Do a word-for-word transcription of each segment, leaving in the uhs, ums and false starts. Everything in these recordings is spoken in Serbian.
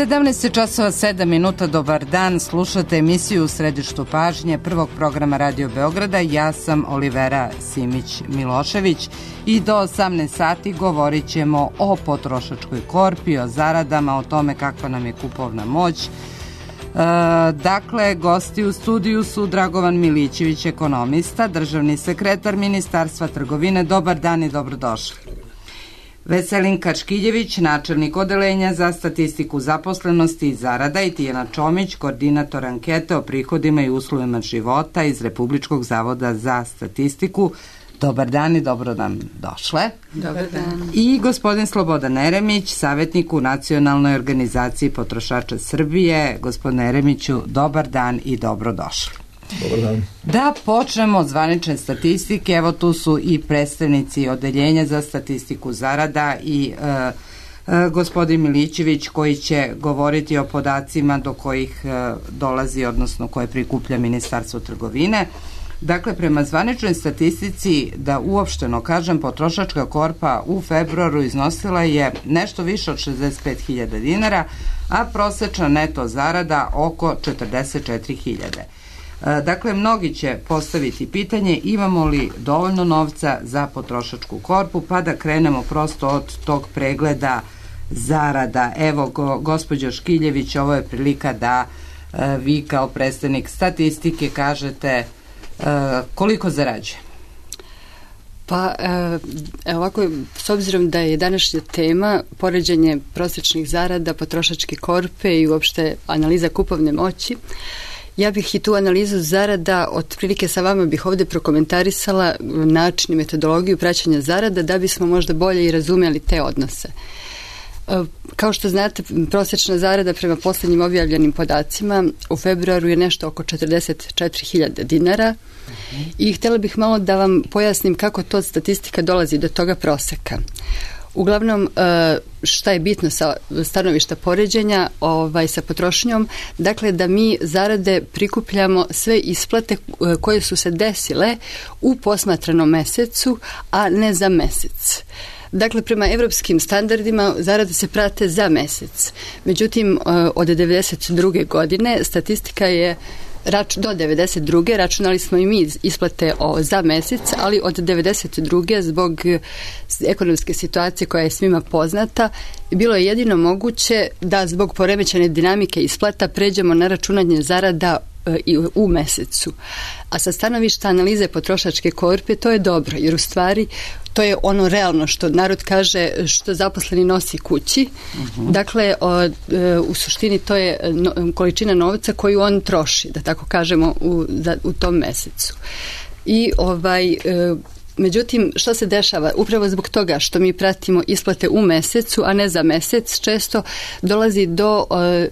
sedamnaest časova sedam minuta, dobar dan, slušate emisiju u središtu pažnje prvog programa Radio Beograda. Ja sam Olivera Simić-Milošević i do osamnaest sati govorit ćemo o potrošačkoj korpi, o zaradama, o tome kakva nam je kupovna moć. E, dakle, gosti u studiju su Dragovan Milićević, ekonomista, državni sekretar Ministarstva trgovine. Dobar dan i dobrodošli. Veselin Kačkiljević, načelnik odeljenja za statistiku zaposlenosti i zarada, i Tijana Čomić, koordinator ankete o prihodima i uslovima života iz Republičkog zavoda za statistiku. Dobar dan i dobro nam došle. Dobar dan. I gospodin Slobodan Eremić, savjetnik u Nacionalnoj organizaciji potrošača Srbije. Gospodine Eremiću, dobar dan i dobro došli. Dobar dan. Da počnemo od zvanične statistike. Evo tu su i predstavnici odeljenja za statistiku zarada i e, e, gospodin Milićević koji će govoriti o podacima do kojih e, dolazi, odnosno koje prikuplja Ministarstvo trgovine. Dakle, prema zvaničnoj statistici, da uopšteno kažem, potrošačka korpa u februaru iznosila je nešto više od šezdeset pet hiljada dinara, a prosečna neto zarada oko četrdeset četiri hiljade. Dakle, mnogi će postaviti pitanje imamo li dovoljno novca za potrošačku korpu, pa da krenemo prosto od tog pregleda zarada. Evo, go, gospođo Škiljević, ovo je prilika da e, vi kao predstavnik statistike kažete e, koliko zarađuje. Pa, e, ovako, s obzirom da je današnja tema poređenje prosječnih zarada, potrošačke korpe i uopšte analiza kupovne moći, ja bih i tu analizu zarada otprilike sa vama bih ovdje prokomentarisala način i metodologiju praćenja zarada da bismo možda bolje i razumjeli te odnose. Kao što znate, prosječna zarada prema posljednjim objavljenim podacima u februaru je nešto oko četrdeset četiri hiljade dinara i htjela bih malo da vam pojasnim kako to statistika dolazi do toga proseka. Uglavnom, šta je bitno sa stanovišta poređenja ovaj, sa potrošnjom, dakle da mi zarade prikupljamo sve isplate koje su se desile u posmatranom mesecu, a ne za mesec. Dakle, prema evropskim standardima zarade se prate za mesec. Međutim, od devedeset druge godine statistika je Rač, do devedeset druge računali smo i mi isplate o, za mesec, ali od devedeset druge zbog ekonomske situacije koja je svima poznata, bilo je jedino moguće da zbog poremećene dinamike isplata pređemo na računanje zarada e, i u mesecu. A sa stanovišta analize potrošačke korpe to je dobro, jer u stvari to je ono realno što narod kaže što zaposleni nosi kući. Uh-huh. Dakle, o, e, u suštini to je no, količina novca koju on troši, da tako kažemo, u, da, u tom mesecu. I ovaj... E, Međutim, što se dešava? Upravo zbog toga što mi pratimo isplate u mesecu, a ne za mesec, često dolazi do e,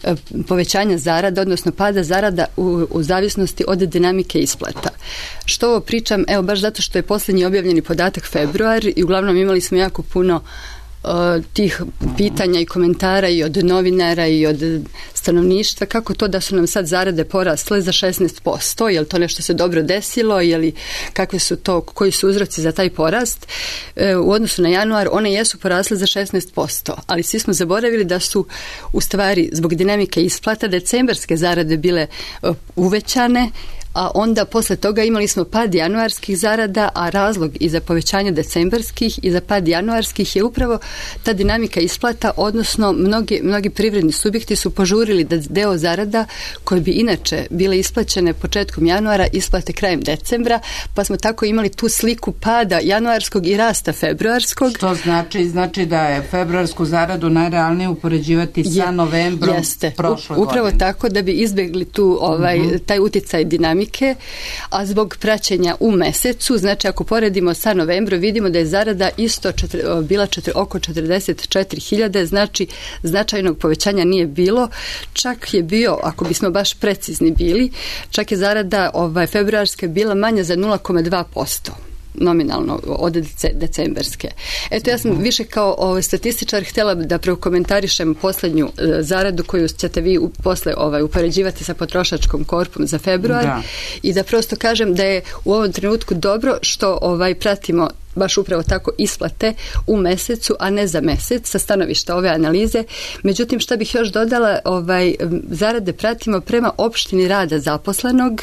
e, povećanja zarada, odnosno pada zarada u, u zavisnosti od dinamike isplata. Što ovo pričam? Evo, baš zato što je posljednji objavljeni podatak februar i uglavnom imali smo jako puno tih pitanja i komentara i od novinara i od stanovništva, kako to da su nam sad zarade porasle za šesnaest posto, je li to nešto se dobro desilo, je li, kakve su to, koji su uzroci za taj porast. E, u odnosu na januar one jesu porasle za šesnaest posto, ali svi smo zaboravili da su u stvari zbog dinamike isplata decembarske zarade bile uh, uvećane, a onda posle toga imali smo pad januarskih zarada, a razlog i za povećanje decembarskih i za pad januarskih je upravo ta dinamika isplata, odnosno mnogi, mnogi privredni subjekti su požurili da deo zarada koje bi inače bile isplaćene početkom januara isplate krajem decembra, pa smo tako imali tu sliku pada januarskog i rasta februarskog. Što znači? Znači da je februarsku zaradu najrealnije upoređivati sa novembrom jeste. prošle U, upravo godine. Tako da bi izbjegli tu ovaj, uh-huh. taj uticaj dinamike. A zbog praćenja u mesecu, znači ako poredimo sa novembrom, vidimo da je zarada isto četiri, bila četiri, oko četrdeset četiri hiljade, znači značajnog povećanja nije bilo, čak je bio, ako bismo baš precizni bili, čak je zarada ovaj, februarska bila manja za nula zarez dva posto. Nominalno od decembarske. Eto, ja sam više kao ovaj, statističar htjela da prokomentarišem posljednju e, zaradu koju ćete vi u, posle ovaj, upoređivati sa potrošačkom korpom za februar da. I da prosto kažem da je u ovom trenutku dobro što ovaj, pratimo baš upravo tako isplate u mesecu, a ne za mesec sa stanovišta ove analize. Međutim, šta bih još dodala, ovaj, zarade pratimo prema opštini rada zaposlenog,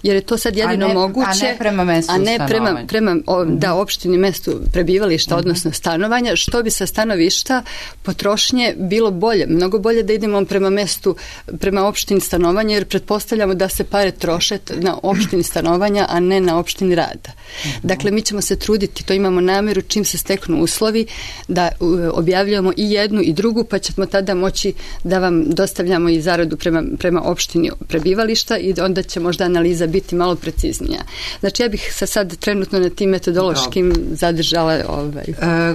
jer je to sad jedino a ne, moguće. A ne prema mestu a ne prema, prema o, uh-huh. da, opštini, mestu prebivališta, uh-huh. odnosno stanovanja, što bi sa stanovišta potrošnje bilo bolje. Mnogo bolje da idemo prema mestu, prema opštini stanovanja, jer pretpostavljamo da se pare troše na opštini stanovanja, a ne na opštini rada. Uh-huh. Dakle, mi ćemo se truditi, to imamo nameru, čim se steknu uslovi, da uh, objavljujemo i jednu i drugu, pa ćemo tada moći da vam dostavljamo i zaradu prema, prema opštini prebivališta i onda će možda analiza biti malo preciznija. Znači, ja bih se sad trenutno na tim metodološkim Dobre. zadržala. Ovaj. E,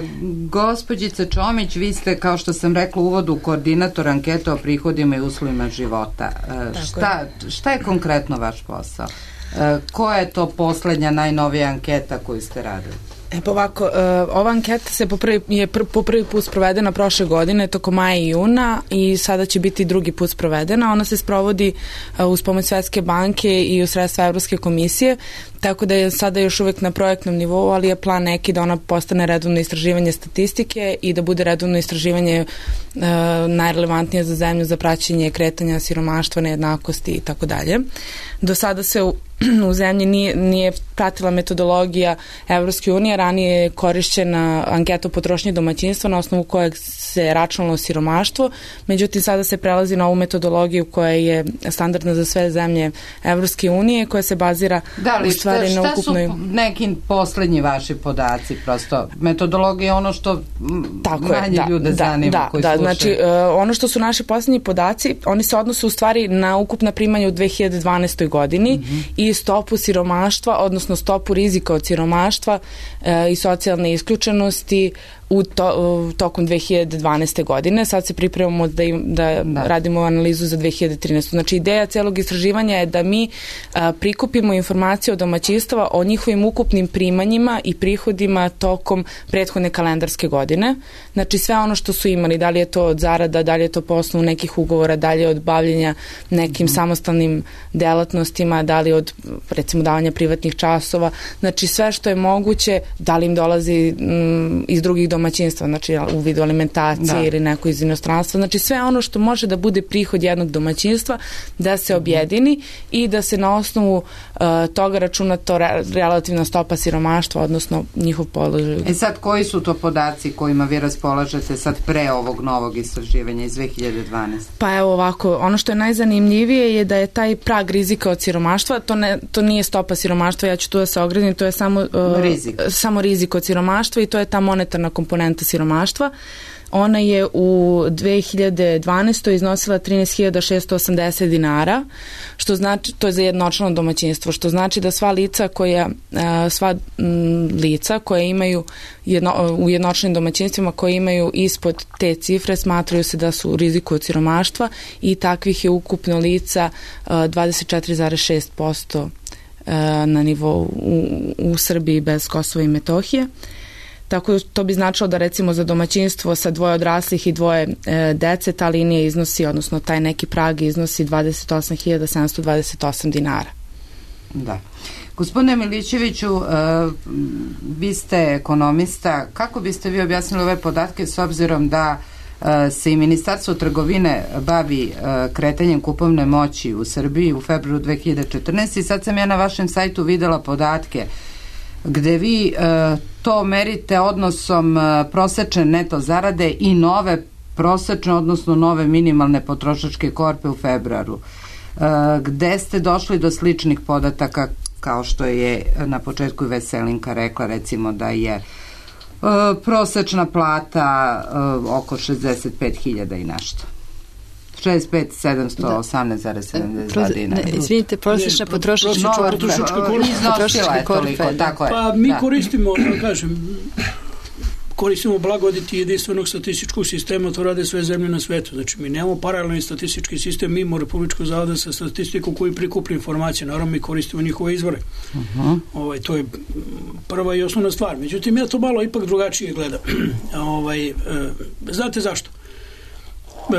gospođice Čomić, vi ste, kao što sam rekla u uvodu, koordinator ankete o prihodima i uslovima života. E, šta, šta je konkretno vaš posao? E, koja je to poslednja, najnovija anketa koju ste radili? E pa ovako, uh, ova anketa se po prvi, je pr, po prvi put sprovedena prošle godine, tokom maja i juna, i sada će biti drugi put sprovedena. Ona se sprovodi uh, uz pomoć Svetske banke i uz sredstva Evropske komisije, tako da je sada još uvek na projektnom nivou, ali je plan neki da ona postane redovno istraživanje statistike i da bude redovno istraživanje uh, najrelevantnije za zemlju za praćenje kretanja siromaštva, nejednakosti i tako dalje. Do sada se u, u zemlji nije, nije pratila metodologija Evropske unije, ranije je korišćena anketa o potrošnji domaćinstva na osnovu kojeg se računalo siromaštvo, međutim sada se prelazi na ovu metodologiju koja je standardna za sve zemlje Evropske unije, koja se bazira da li, u stvari šta, na ukupnoj... Šta su neki poslednji vaši podaci? Prosto metodologija je ono što Tako manje je, da, ljude da, zanima da, koji da, slušaju. Znači, uh, ono što su naši poslednji podaci, oni se odnose u stvari na ukupna primanja u dve hiljade dvanaestoj godini mm-hmm. i stopu siromaštva, odnosno stopu rizika od siromaštva uh, i socijalne isključenosti u to, uh, tokom dve hiljade dvanaeste godine. Sad se pripremamo da, im, da, da. radimo analizu za dve hiljade trinaestu. Znači, ideja celog istraživanja je da mi uh, prikupimo informacije od domaćinstava o njihovim ukupnim primanjima i prihodima tokom prethodne kalendarske godine. Znači, sve ono što su imali, da li je to od zarada, da li je to po osnovu nekih ugovora, da li je od bavljenja nekim mm. samostalnim delatnostima, da li od, recimo, davanja privatnih časova. Znači, sve što je moguće, da li im dolazi mm, iz drugih domaćinstva, znači u vidu alimentacije da. ili neko iz inostranstva. Znači, sve ono što može da bude prihod jednog domaćinstva, da se objedini i da se na osnovu uh, toga računa to re, relativna stopa siromaštva, odnosno njihov položaj. E sad, koji su to podaci kojima vi raspolažete sad pre ovog novog istraživanja iz dve hiljade dvanaeste? Pa evo ovako, ono što je najzanimljivije je da je taj prag rizika od siromaštva, to, ne, to nije stopa siromaštva, ja ću tu da se ogradim, to je samo, uh, rizik. samo rizik od siromaštva i to je ta monetarna komponenta siromaštva. Ona je u dve hiljade dvanaestoj iznosila trinaest hiljada šessto osamdeset dinara, što znači, to je za jednočlano domaćinstvo, što znači da sva lica koja, sva lica koja imaju jedno, u jednočlanim domaćinstvima koje imaju ispod te cifre smatraju se da su u riziku od siromaštva i takvih je ukupno lica dvadeset četiri zarez šest posto na nivou u, u Srbiji bez Kosova i Metohije. Tako to bi značilo da recimo za domaćinstvo sa dvoje odraslih i dvoje e, dece ta linija iznosi, odnosno taj neki prag iznosi dvadeset osam hiljada sedamsto dvadeset osam dinara. Da. Gospodine Milićeviću, uh, vi ste ekonomista. Kako biste vi objasnili ove podatke s obzirom da uh, se i Ministarstvo trgovine bavi uh, kretanjem kupovne moći u Srbiji u februaru dve hiljade četrnaeste. I sad sam ja na vašem sajtu videla podatke gde vi uh, to merite odnosom uh, prosečne neto zarade i nove prosečne, odnosno nove minimalne potrošačke korpe u februaru. Uh, gde ste došli do sličnih podataka kao što je na početku i Veselinka rekla, recimo da je uh, prosečna plata uh, oko šezdeset pet hiljada i nešto. šezdeset pet hiljada sedamsto osamnaest zarez sedamdeset dva dinara. Izvinite, prosječna potrošačka korpa. Iznosila je toliko, tako je. Pa mi koristimo, da kažem, koristimo blagodeti jedinstvenog statističkog sistema, to rade sve zemlje na svetu. Znači, mi nemamo paralelni statistički sistem, mi imamo Republičkog zavoda sa statistikom koji prikuplja informacije, naravno mi koristimo njihove izvore. Uh-huh. Ovaj, to je prva i osnovna stvar. Međutim, ja to malo ipak drugačije gledam. ovaj, e, znate zašto?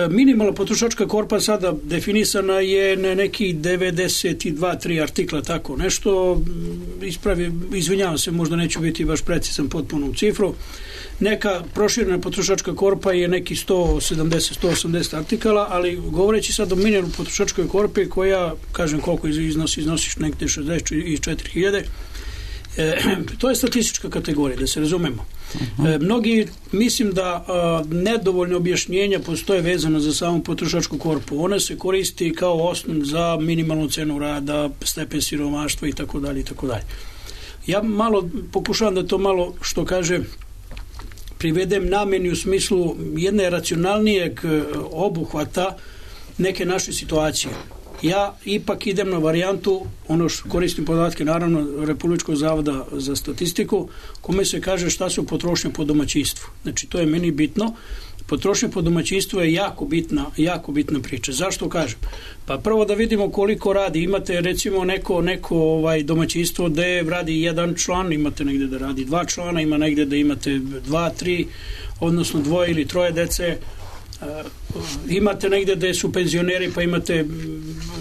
minimalna potrošačka korpa sada definisana je na neki devedeset dva tri artikla, tako nešto, ispravi, izvinjavam se, možda neću biti baš precizan potpunom cifru. Neka proširena potrošačka korpa je neki sto sedamdeset do sto osamdeset artikala, ali govoreći sad o minimalnoj potrošačkoj korpi koja, kažem koliko iznosi, iznosiš negde šezdeset četiri hiljade, E, to je statistička kategorija, da se razumemo. E, mnogi, mislim da a, nedovoljno objašnjenja postoje vezano za samu potrošačku korpu. Ona se koristi kao osnov za minimalnu cenu rada, stepen siromaštva i tako dalje i tako dalje. Ja malo pokušavam da to malo, što kaže, privedem nameni u smislu jedne racionalnijeg obuhvata neke naše situacije. Ja ipak idem na varijantu, ono što koristim podatke naravno Republičkog zavoda za statistiku, kome se kaže šta su potrošnje po domaćinstvu. Znači to je meni bitno. Potrošnja po domaćinstvu je jako bitna, jako bitna priča. Zašto kažem? Pa prvo da vidimo koliko radi. Imate recimo neko, neko ovaj domaćinstvo gde radi jedan član, imate negde da radi dva člana, ima negde da imate dva, tri, odnosno dvoje ili troje dece. Uh, imate negde da su penzioneri, pa imate,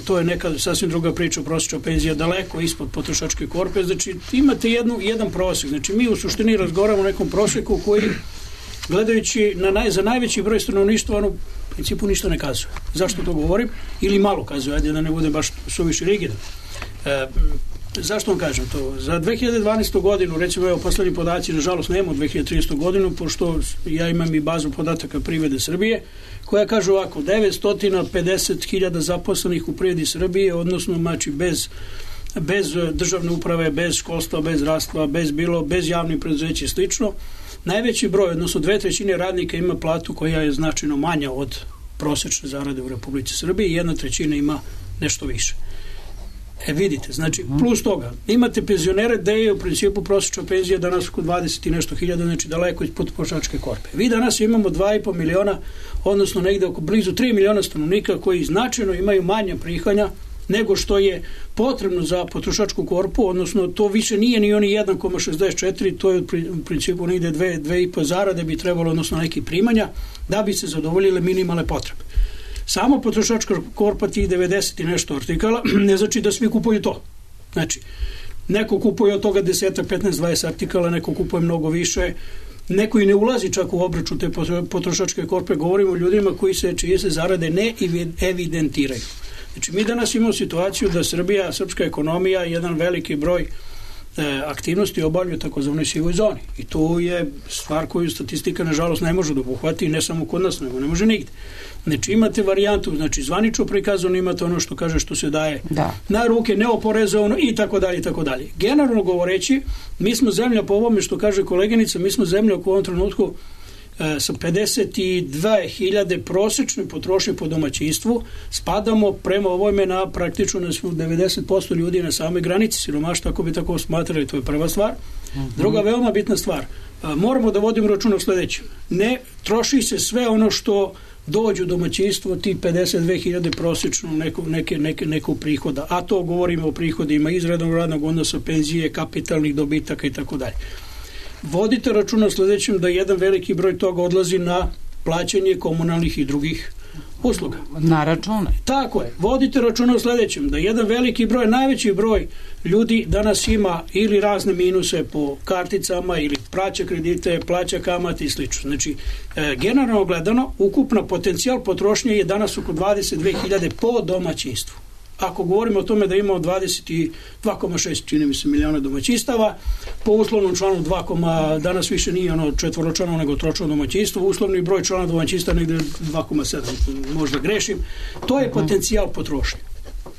to je neka sasvim druga priča, prosječna penzija daleko ispod potrošačke korpe, znači imate jednu, jedan prosjek, znači mi u suštini razgovaramo o nekom prosjeku koji, gledajući na naj, za najveći broj stanovništva, ono u principu ništa ne kazuje. Zašto to govorim? Ili malo kazuje, ajde da ne bude baš suviše rigidan. Uh, Zašto vam kažem to? Za dve hiljade dvanaestu godinu, recimo evo poslednji podaci, nažalost nemamo dve hiljade trinaestu godinu, pošto ja imam i bazu podataka privrede Srbije, koja kaže ovako, devetsto pedeset hiljada zaposlenih u privredi Srbije, odnosno znači bez, bez državne uprave, bez školstva, bez zdravstva, bez bilo, bez javnih preduzeća i slično. Najveći broj, odnosno dve trećine radnika ima platu koja je značajno manja od prosečne zarade u Republici Srbiji i jedna trećina ima nešto više. E vidite, znači plus toga, imate penzionere gde je u principu prosječna penzija danas oko dvadeset i nešto hiljada, znači daleko ispod potrošačke korpe. Vi danas imamo dva i po miliona, odnosno negde oko blizu tri miliona stanovnika koji značajno imaju manje prihanja nego što je potrebno za potrošačku korpu, odnosno to više nije ni oni jedan zarez šezdeset četiri, to je u principu negde dve, dve i po zarade bi trebalo, odnosno neki primanja, da bi se zadovoljile minimalne potrebe. Samo potrošačka korpa tih devedeset i nešto artikala ne znači da svi kupuju to. Znači, neko kupuje od toga deset, petnaest, dvadeset artikala, neko kupuje mnogo više, neko i ne ulazi čak u obračun te potrošačke korpe, govorimo o ljudima koji se, čije se zarade ne evidentiraju. Znači, mi danas imamo situaciju da Srbija, srpska ekonomija, jedan veliki broj aktivnosti obavljaju u takozvanoj sivoj zoni. I to je stvar koju statistika nažalost ne može da obuhvati, ne samo kod nas, nego ne može nigde. Znači imate varijantu, znači zvanično prikazano, imate ono što kaže što se daje da. Na ruke, neoporezovano i tako dalje i tako dalje. Generalno govoreći, mi smo zemlja po ovome što kaže koleginica, mi smo zemlja u ovom trenutku e, sa pedeset dve hiljade prosečne potrošnje po domaćinstvu, spadamo prema ovome na praktično na devedeset posto ljudi na samoj granici siromaštva, ako bi tako smatrali, to je prva stvar. Uh-huh. Druga veoma bitna stvar, e, moramo da vodimo računa o sledećem. Ne troši se sve ono što dođu domaćinstvo ti pedeset dve hiljade prosječno neko, neke, neke, nekog prihoda, a to govorimo o prihodima iz rednog radnog odnosa, penzije, kapitalnih dobitaka i tako dalje. Vodite računa o sledećem da jedan veliki broj toga odlazi na plaćanje komunalnih i drugih usluga. Na račune. Tako je. Vodite računa o sledećem, da jedan veliki broj, najveći broj ljudi danas ima ili razne minuse po karticama ili plaća kredite, plaća kamate i slično. Znači, e, generalno gledano, ukupna potencijal potrošnje je danas oko dvadeset dve hiljade po domaćinstvu. Ako govorimo o tome da imamo dvadeset dva zarez šest čini mi se miliona domaćinstava, po uslovnom članu dva, danas više nije ono četvoročlano nego tročlano domaćinstvo, uslovni broj člana domaćinstva negde dva zarez sedam, možda grešim, to je potencijal potrošnje.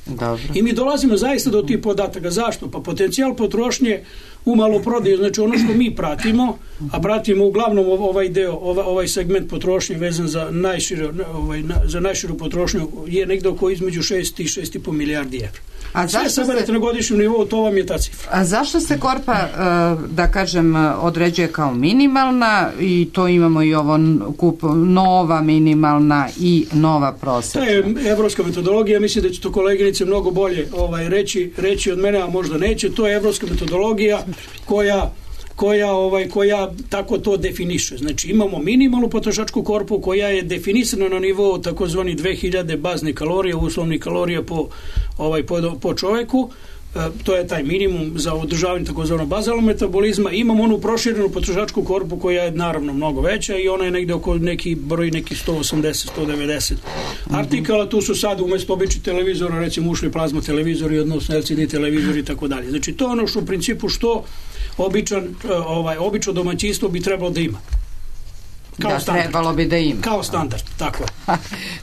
Dobro. I mi dolazimo zaista do tih podataka. Zašto? Pa potencijal potrošnje u maloprodaju, znači ono što mi pratimo, a pratimo uglavnom ovaj deo, ovaj segment potrošnje vezan za najširu, ovaj, za najširu potrošnju je negde oko između šest i šest i po milijardi evra. A sve saberete se na godišnjem nivou, to vam je ta cifra. A zašto se korpa, da kažem, određuje kao minimalna i to imamo i ovo kup, nova minimalna i nova prosečna? To je evropska metodologija, mislim da će to koleginice mnogo bolje ovaj, reći, reći od mene, a možda neće. To je evropska metodologija koja koja, ovaj, koja tako to definiše. Znači imamo minimalnu potrošačku korpu koja je definisana na nivou takozvani dve hiljade baznih kalorija, uslovnih kalorija po, ovaj, po, po čoveku. To je taj minimum za održavanje takozvanog bazalnog metabolizma. Imamo onu proširenu potrošačku korpu koja je naravno mnogo veća i ona je negde oko neki broj neki sto osamdeset do sto devedeset artikala. Tu su sad umesto običnih televizora recimo ušli plazma televizori, odnosno L C D televizori i tako dalje. Znači to je ono što u principu što običan, ovaj, obično domaćinstvo bi trebalo da ima. Kao da, standard. Trebalo bi da ima. Kao standard, tako je.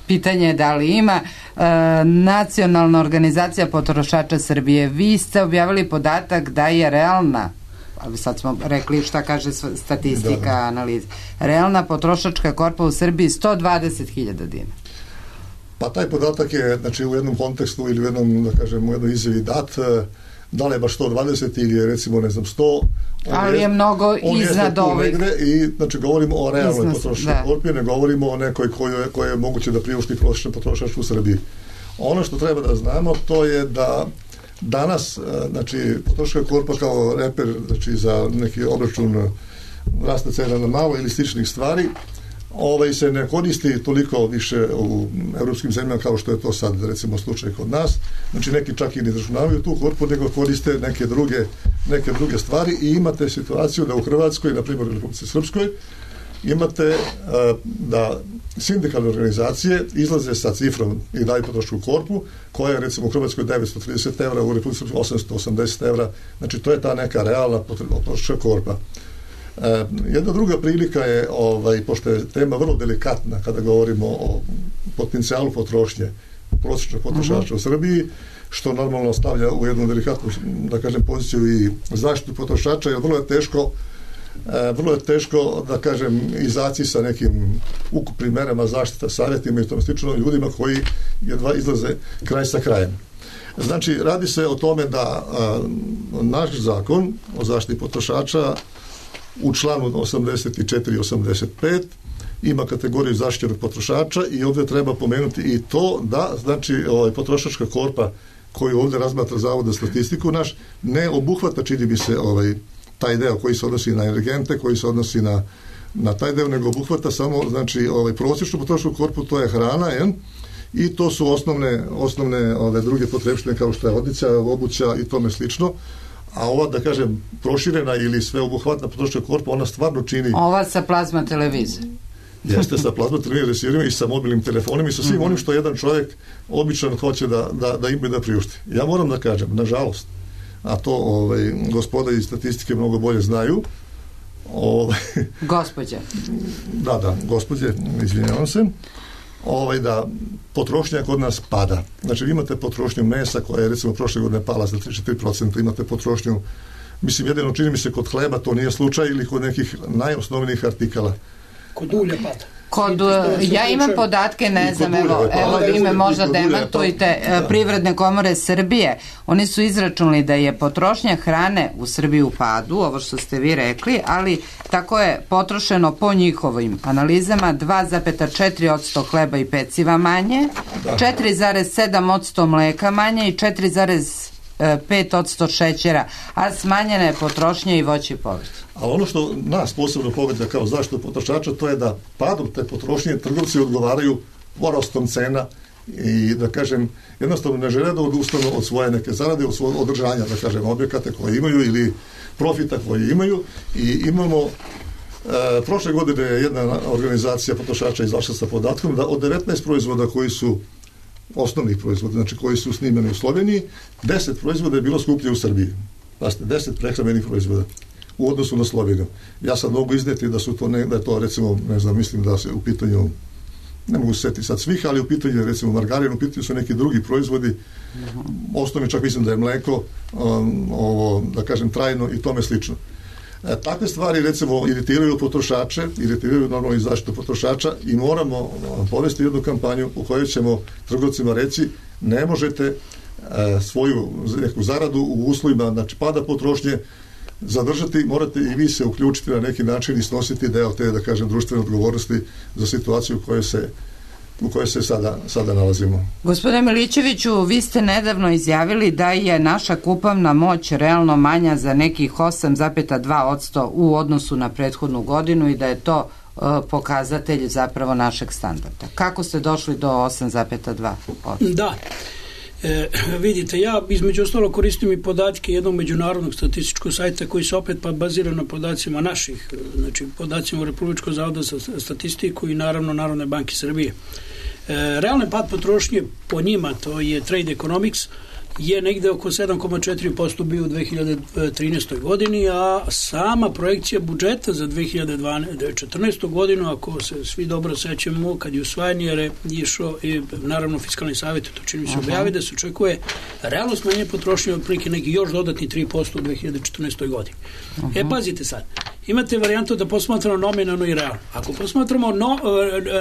Pitanje je da li ima. E, Nacionalna organizacija potrošača Srbije, vi ste objavili podatak da je realna, ali sad smo rekli šta kaže statistika, da, analiza, realna potrošačka korpa u Srbiji sto dvadeset hiljada dinara. Pa taj podatak je, znači, u jednom kontekstu ili u jednom, da kažem, u jednoj izjavi dat, da li je baš sto dvadeset ili je recimo, ne znam, sto, ali je, je mnogo iznad ovih. I, znači, govorimo o realnoj potrošačkoj korpi, ne govorimo o nekoj koje, koje je moguće da priušti prosječan potrošač u Srbiji. Ono što treba da znamo, to je da danas, znači, potrošačka korpa kao reper, znači, za neki obračun rasta cena na malo ili sličnih stvari, ovaj se ne koristi toliko više u evropskim zemljama kao što je to sad recimo slučaj kod nas. Znači neki čak i ne izračunavaju tu korpu, nego koriste neke druge, neke druge stvari i imate situaciju da u Hrvatskoj, na primjer u Republici Srpskoj, imate uh, da sindikalne organizacije izlaze sa cifrom i daju potrošačku korpu koja je recimo u Hrvatskoj devetsto trideset evra, u Republici Srpskoj osamsto osamdeset evra. Znači to je ta neka realna potrošačka korpa. E, jedna druga prilika je, ovaj, pošto je tema vrlo delikatna kada govorimo o potencijalu potrošnje prosječnog potrošača uh-huh. u Srbiji, što normalno stavlja u jednu delikatnu, da kažem, poziciju i zaštitu potrošača, jer vrlo je teško e, vrlo je teško, da kažem, izaći sa nekim ukupnim merama zaštita, savjetima i tom slično ljudima koji jedva izlaze kraj sa krajem. Znači, radi se o tome da a, naš zakon o zaštiti potrošača u članu osamdeset četiri i osamdeset pet ima kategoriju zaštićenog potrošača i ovdje treba pomenuti i to da, znači, ovaj, potrošačka korpa koju ovdje razmatra Zavod za statistiku naš, ne obuhvata, čini bi se, ovaj, taj deo koji se odnosi na energente, koji se odnosi na, na taj deo, nego obuhvata samo, znači, ovaj, prosječnu potrošačku korpu, to je hrana, jen? I to su osnovne, osnovne ove druge potrebštine kao što je odjeća, obuća i tome slično. A ova, da kažem, proširena ili sveobuhvatna potrošačka korpa, ona stvarno čini... Ova sa plazma televizijom. Jeste, sa plazma televizijom i sa mobilnim telefonima i sa svim mm-hmm. onim što jedan čovjek običan hoće da, da, da ima i da priušti. Ja moram da kažem, nažalost, a to ovaj, gospoda iz statistike mnogo bolje znaju. Ovaj, Gospođe. Da, da, gospođe, izvinjavam se. Ovaj, da potrošnja kod nas pada. Znači, vi imate potrošnju mesa koja je recimo prošle godine pala za tri do četiri procenta, imate potrošnju, mislim, jedino čini mi se kod hleba, to nije slučaj, ili kod nekih najosnovnijih artikala. Kod ulja pada. Kod, ja imam podatke, ne znam, evo, evo vi me možda demantujte, Privredne komore Srbije, oni su izračunali da je potrošnja hrane u Srbiji u padu, ovo što ste vi rekli, ali tako je potrošeno po njihovim analizama dva zarez četiri posto hleba i peciva manje, četiri zarez sedam posto mleka manje i četiri zarez pet posto šećera, a smanjena je potrošnja i voće i povrće. A ono što nas posebno pogađa kao zaštitu potrošača, to je da padom te potrošnje trgovci odgovaraju porastom cena i, da kažem, jednostavno ne žele da odustanu od svoje neke zarade, od svojeg održanja, da kažem, objekata koje imaju ili profita koje imaju. I imamo e, prošle godine je jedna organizacija potrošača izašla sa podatkom da od devetnaest proizvoda koji su osnovnih proizvoda, znači koji su snimani u Sloveniji, deset proizvoda je bilo skuplje u Srbiji. Pazite, deset prehrambenih proizvoda u odnosu na Sloveniju. Ja sad mogu izneti da su to, ne, da je to recimo, ne znam, mislim da se u pitanju, ne mogu se setiti sad svih, ali u pitanju recimo margarin, u pitanju su neki drugi proizvodi, osnovni čak mislim da je mleko, um, ovo, da kažem, trajno i tome slično. E, takve stvari recimo iritiraju potrošače, iritiraju normalno i zaštitu potrošača i moramo povesti jednu kampanju u kojoj ćemo trgovcima reći ne možete e, svoju neku zaradu u uslovima, znači pada potrošnje, zadržati, morate i vi se uključiti na neki način i snositi deo te, da kažem, društvene odgovornosti za situaciju u kojoj se u kojoj se sada, sada nalazimo. Gospodine Milićeviću, vi ste nedavno izjavili da je naša kupovna moć realno manja za nekih osam zarez dva posto u odnosu na prethodnu godinu i da je to uh, pokazatelj zapravo našeg standarda. Kako ste došli do osam zarez dva posto? Da. E, vidite, ja između ostalo koristim i podatke jednog međunarodnog statističkog sajta koji se opet pa bazira na podacima naših, znači podacima Republičkog zavoda za statistiku i naravno Narodne banke Srbije. E, realni pad potrošnje po njima, to je Trade Economics, je negde oko sedam zarez četiri posto bio u dve hiljade trinaestoj godini, a sama projekcija budžeta za dve hiljade četrnaestu godinu, ako se svi dobro sećamo, kad je usvajan je išao i naravno fiskalni savjet, to čini mi se objavi, da se očekuje realno smanjenje potrošnje od prilike neki još dodatni tri posto u dve hiljade četrnaestoj godini. Uh -huh. E, pazite sad, imate varijantu da posmatramo nominalno i realno. Ako posmatramo no,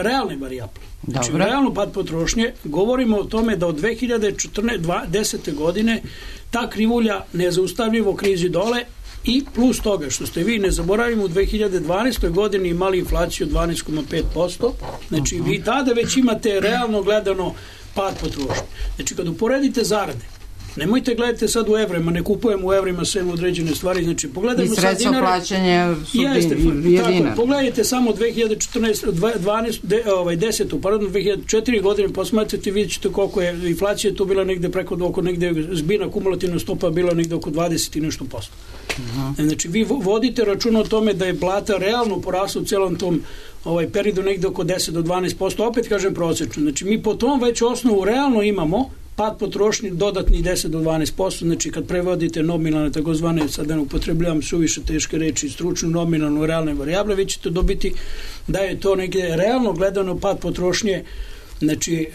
realne varijable, znači realno pad potrošnje, govorimo o tome da od dve hiljade desete godine ta krivulja nezaustavljivo krizi dole i plus toga što ste vi, ne zaboravimo, u dve hiljade dvanaestoj godini imali inflaciju dvanaest zarez pet posto, znači vi tada već imate realno gledano pad potrošnje. Znači kad uporedite zarade, nemojte gledajte sad u evrima, ne kupujemo u evrima sve određene stvari, znači pogledajmo sad dinare. I sredstvo plaćanja su jeste, je dinar. Pogledajte samo dve hiljade četrnaeste, dvanaeste, ovaj, desetu, pardon, dve hiljade četiri godine, posmatrate, vidjet ćete koliko je inflacija tu bila negde preko, oko negde zbirna kumulativna stopa bila negde oko dvadeset i nešto posto. Uh -huh. Znači, vi vodite račun o tome da je plata realno porasla u celom tom ovaj periodu negde oko deset do dvanaest posto, opet kažem prosečno. Znači, mi po tom već osnovu realno imamo pad potrošnje dodatni deset do dvanaest posto, znači kad prevodite nominalne, takozvane, sad ne upotrebljavam suviše teške reči, stručnu, nominalnu, realne varijable, vi ćete dobiti da je to negdje realno gledano pad potrošnje, znači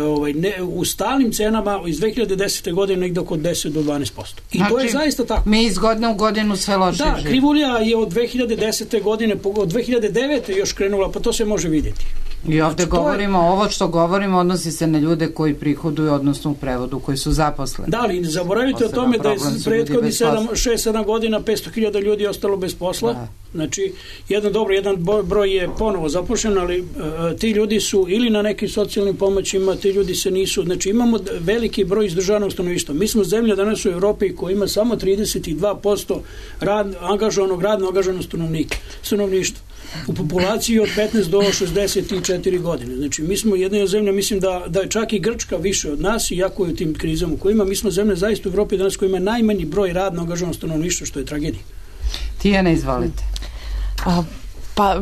ovaj, ne, u stalnim cenama iz dve hiljade desete godine negdje oko deset do dvanaest posto. I znači, to je zaista tako. Mi iz godine u godinu sve loše da, živimo. Da, krivulja je od dve hiljade desete godine, od dve hiljade devete još krenula, pa to se može vidjeti. I ovdje znači, govorimo, je... ovo što govorimo odnosi se na ljude koji prihoduju, odnosno u prevodu, koji su zaposleni. Da, ali ne zaboravite o tome da je prethodni šest sedam godina petsto hiljada ljudi ostalo bez posla. Da. Znači, jedan dobro, jedan broj je ponovo zapošljen, ali uh, ti ljudi su ili na nekim socijalnim pomoćima, ti ljudi se nisu, znači imamo veliki broj izdržanog stanovništva. Mi smo zemlja danas u Evropi koja ima samo trideset dva posto rad, angažovanog, radno angažovanog stanovnika, stanovništva u populaciji od petnaest do šezdeset četiri godine. Znači, mi smo jedna zemlja, mislim da, da je čak i Grčka više od nas, iako je u tim krizama u kojima, mi smo zemlja zaista u Evropi danas koja ima najmanji broj radno angažovanog stanovništva, što je tragedija. Tijana, izvolite. A, pa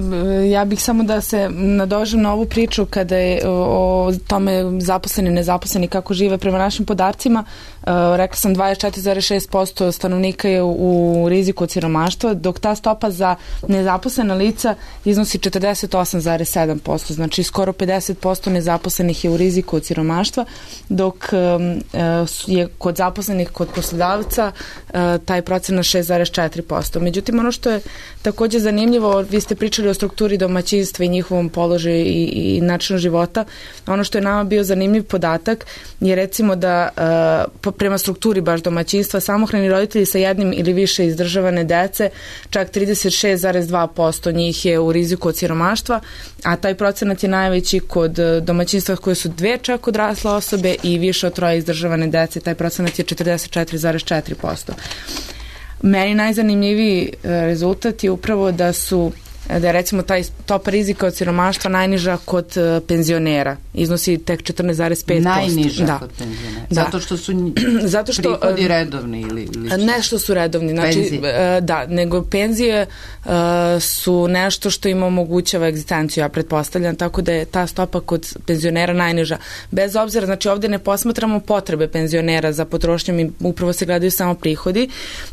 ja bih samo da se nadožem na ovu priču kada je o, o tome zaposleni, nezaposleni, kako žive prema našim podacima. Uh, rekla sam dvadeset četiri zarez šest posto stanovnika je u, u riziku od siromaštva, dok ta stopa za nezaposlena lica iznosi četrdeset osam zarez sedam posto, znači skoro pedeset posto nezaposlenih je u riziku od siromaštva, dok um, uh, je kod zaposlenih kod poslodavca uh, taj procenat šest zarez četiri posto. Međutim, ono što je također zanimljivo, vi ste pričali o strukturi domaćinstva i njihovom položaju i, i načinu života. Ono što je nama bio zanimljiv podatak je recimo da uh, prema strukturi baš domaćinstva samohrani roditelji sa jednim ili više izdržavane dece, čak trideset šest zarez dva posto njih je u riziku od siromaštva, a taj procenat je najveći kod domaćinstva koje su dve čak odrasle osobe i više od troje izdržavane dece, taj procenat je četrdeset četiri zarez četiri posto. Meni najzanimljiviji rezultat je upravo da su da je recimo taj stopa rizika od siromaštva najniža kod uh, penzionera. Iznosi tek četrnaest zarez pet posto. Najniža da. kod penzionera. Zato što su Zato što, prihodi uh, redovni ili, ili nešto su redovni. Znači, uh, da, nego penzije uh, su nešto što im omogućava egzistenciju, ja pretpostavljam, tako da je ta stopa kod penzionera najniža. Bez obzira, znači ovdje ne posmatramo potrebe penzionera za potrošnjom i upravo se gledaju samo prihodi.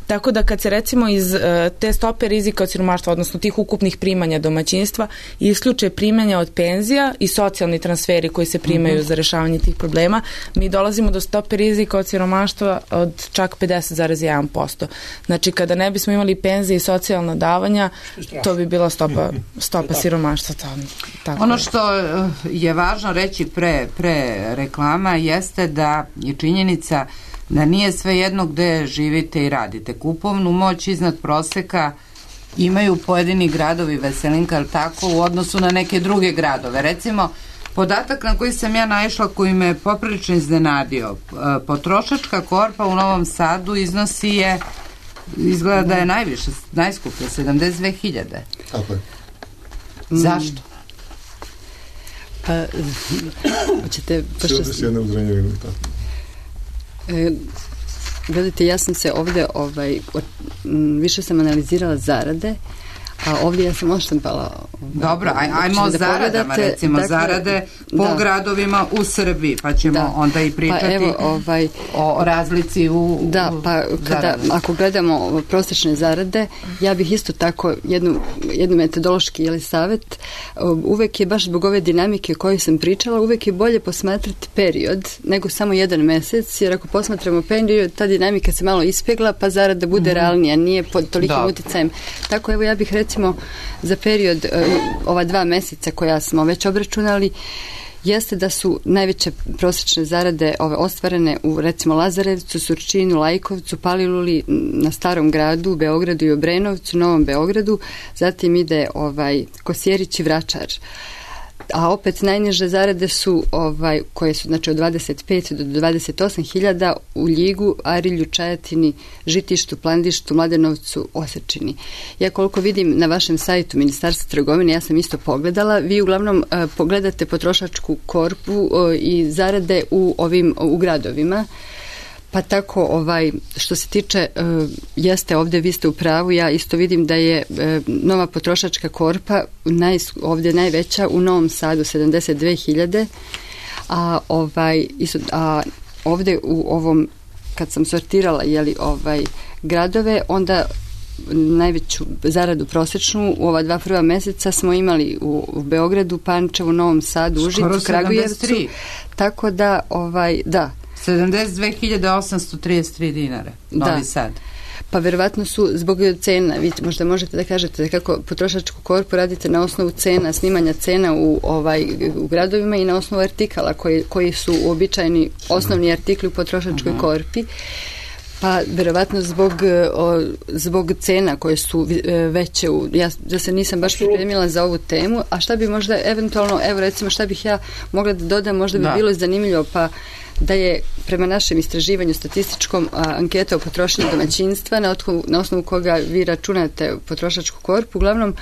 Tako da kad se recimo iz uh, te stope rizika od siromaštva, odnosno tih ukupnih primanja domaćinstva, isključe primanja od penzija i socijalni transferi koji se primaju mm-hmm. za rešavanje tih problema, mi dolazimo do stope rizika od siromaštva od čak pedeset zarez jedan posto. Znači, kada ne bismo imali penzije i socijalna davanja, to bi bila stopa, stopa siromaštva. Tako ono što je važno reći pre, pre reklama jeste da je činjenica da nije sve jedno gde živite i radite. Kupovnu moć iznad proseka imaju pojedini gradovi, Veselinka, ali tako, u odnosu na neke druge gradove. Recimo, Podatak na koji sam ja naišla, koji me poprilično iznenadio, potrošačka korpa u Novom Sadu iznosi je, izgleda da je najviše, najskuplje, sedamdeset dve hiljade. Tako je. Zašto? Pa, hoćete... sedamdeset jedna u Zrenjaninu i tako. E, gledajte, ja sam se ovde, ovaj, više sam analizirala zarade, a ovdje ja sam oštampala. Dobro, aj, ajmo o da zaradama, recimo, dakle, zarade po da. gradovima u Srbiji, pa ćemo da. onda i pričati pa evo, ovaj, o razlici u Da, pa kada, ako gledamo prosječne zarade, ja bih isto tako jednu, jednu metodološki ili savjet, uvek je baš zbog ove dinamike o kojoj sam pričala, uvek je bolje posmatrati period nego samo jedan mesec, jer ako posmatramo period, ta dinamika se malo ispegla, pa zarada bude mm-hmm. realnija, nije pod tolikim da. uticajem. Tako evo ja bih recimo za period ova dva meseca koja smo već obračunali, jeste da su najveće prosječne zarade ove ostvarene u recimo Lazarevcu, Surčinu, Lajkovcu, Paliluli, na Starom gradu, u Beogradu i Obrenovcu, Novom Beogradu, zatim ide ovaj Kosjerić i Vračar. A opet najniže zarade su ovaj, koje su znači od dvadeset pet do dvadeset osam hiljada u Ljigu, Arilju, Čajetini, Žitištu, Plandištu, Mladenovcu, Osečini. Ja koliko vidim na vašem sajtu Ministarstva trgovine, ja sam isto pogledala, vi uglavnom uh, pogledate potrošačku korpu uh, i zarade u ovim u gradovima. Pa tako, ovaj, što se tiče, uh, jeste ovdje, vi ste u pravu, ja isto vidim da je uh, nova potrošačka korpa naj, ovdje najveća u Novom Sadu, sedamdeset dve hiljade, a, ovaj, isto, a ovdje u ovom, kad sam sortirala jeli, ovaj, gradove, onda najveću zaradu prosječnu u ova dva prva meseca smo imali u, u Beogradu, Pančevu, Novom Sadu, Užicu, Kragujevcu, tako da, ovaj, da, sedamdeset dve hiljade osamsto trideset tri dinara, Novi da. Sad. Pa verovatno su zbog cena, vi možda možete da kažete kako potrošačku korpu radite na osnovu cena, snimanja cena u, ovaj, u gradovima i na osnovu artikala koji, koji su uobičajeni osnovni artikli u potrošačkoj uh-huh. korpi. Pa verovatno zbog, o, zbog cena koje su veće, u, ja da se nisam baš pripremila za ovu temu, a šta bi možda eventualno, evo recimo šta bih ja mogla da dodam, možda bi da. bilo zanimljivo, pa da je prema našem istraživanju statističkom a, anketa o potrošnji domaćinstva na, otku, na osnovu koga vi računate potrošačku korpu, uglavnom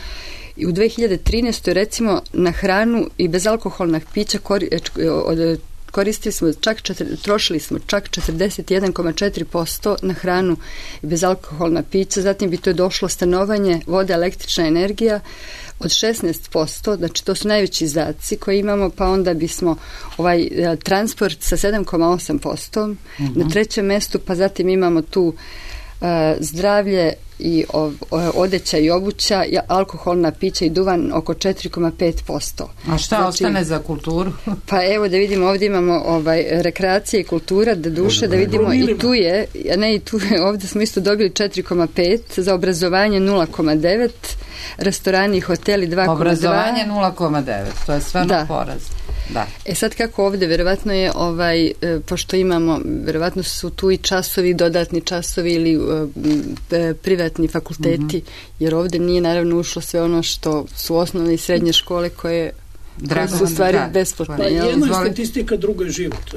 i u dve hiljade trinaestoj recimo na hranu i bezalkoholna pića kori, od koristili smo čak četiri, trošili smo čak četrdeset jedan zarez četiri posto na hranu i bezalkoholna pića, zatim bi to došlo stanovanje, voda, električna energija od šesnaest posto, znači to su najveći izdaci koje imamo, pa onda bismo ovaj transport sa sedam zarez osam posto, uh-huh. na trećem mestu, pa zatim imamo tu uh, zdravlje i ov, odeća i obuća, alkoholna pića i duvan oko četiri zarez pet posto. A šta znači, ostane za kulturu? Pa evo da vidimo, ovdje imamo ovaj, rekreacija i kultura, da duše, da vidimo i tu je, a ne i tu je, ovdje smo isto dobili četiri zarez pet, za obrazovanje nula zarez devet, restorani i hoteli dva zarez dva. Obrazovanje nula zarez devet, to je stvarno da. poraz. Da. E sad kako ovdje, verovatno je ovaj, pošto imamo, verovatno su tu i časovi, dodatni časovi ili e, privatni fakulteti, mm-hmm. jer ovdje nije naravno ušlo sve ono što su osnovne i srednje škole koje Drago, su u stvari da, besplatne. Pa jedna je statistika, druga je život.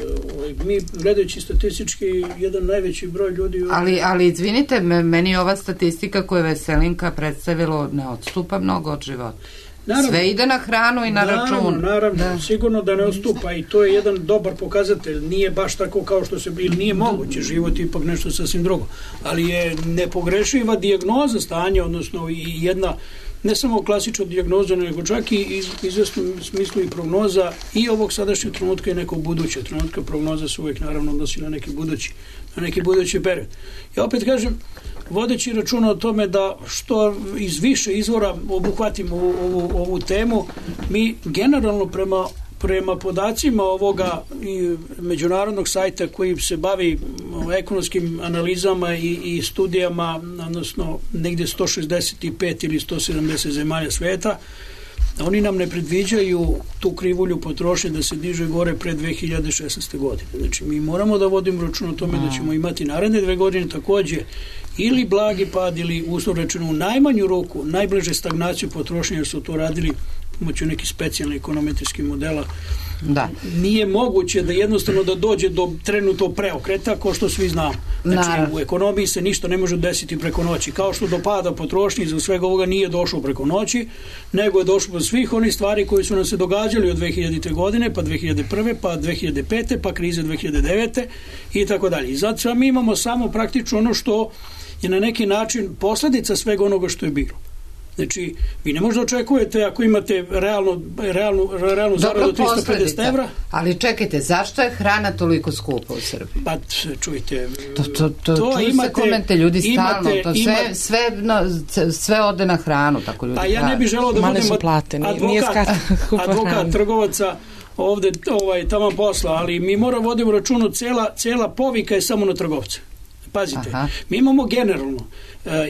Mi, gledajući statistički, jedan najveći broj ljudi... Ali, ali izvinite, meni ova statistika koju je Veselinka predstavilo ne odstupa mnogo od života. Naravno, sve ide na hranu i na naravno, račun. Naravno, da. sigurno da ne odstupa i to je jedan dobar pokazatelj. Nije baš tako kao što se ili nije moguće, život ipak nešto sasvim drugo. Ali je nepogrešiva dijagnoza stanja, odnosno i jedna ne samo klasična dijagnoza, nego čak i u izvesnom smislu i prognoza i ovog sadašnjeg trenutka i nekog budućeg trenutka. Prognoza se uvijek naravno odnosi na neki budući, na neki budući period. Ja opet kažem, vodeći računa o tome da što iz više izvora obuhvatimo ovu, ovu, ovu temu, mi generalno prema, prema podacima ovoga i međunarodnog sajta koji se bavi ekonomskim analizama i, i studijama, odnosno negdje sto šezdeset pet ili sto sedamdeset zemalja sveta, oni nam ne predviđaju tu krivulju potrošnje da se diže gore pre dve hiljade šesnaeste. godine. Znači, mi moramo da vodimo račun o tome da ćemo imati naredne dve godine takođe ili blagi pad ili uslovno rečeno u najmanju ruku, najbliže stagnaciju potrošnje, jer su to radili pomoću nekih specijalnih ekonometrijskih modela. Da. Nije moguće da jednostavno da dođe do trenutnog preokreta, kao što svi znamo. Znači, Naravno. u ekonomiji se ništa ne može desiti preko noći. Kao što do pada potrošnje iz svega ovoga nije došlo preko noći, nego je došlo do svih onih stvari koji su nam se događali od dve hiljadite. godine, pa dve hiljade prve. pa dve hiljade pete. pa krize dve hiljade devete. i tako dalje. I zato mi imamo samo praktično ono što je na neki način posledica svega onoga što je bilo. Znači, vi ne možda očekujete ako imate realno, realnu, realnu zaradu tristo pedeset evra. Ali čekajte, zašto je hrana toliko skupa u Srbiji? Pa, čujte, to, to, to, to imate, se komente ljudi stalno, to sve, imate, sve, no, sve ode na hranu, tako ljudi. Pa ja ne bih želeo da budem plate, nije, advokat, nije advokat trgovaca ovde ovaj, tamo posla, ali mi moramo vodimo računu, cela, cela povika je samo na trgovce. Pazite, Aha. mi imamo generalno,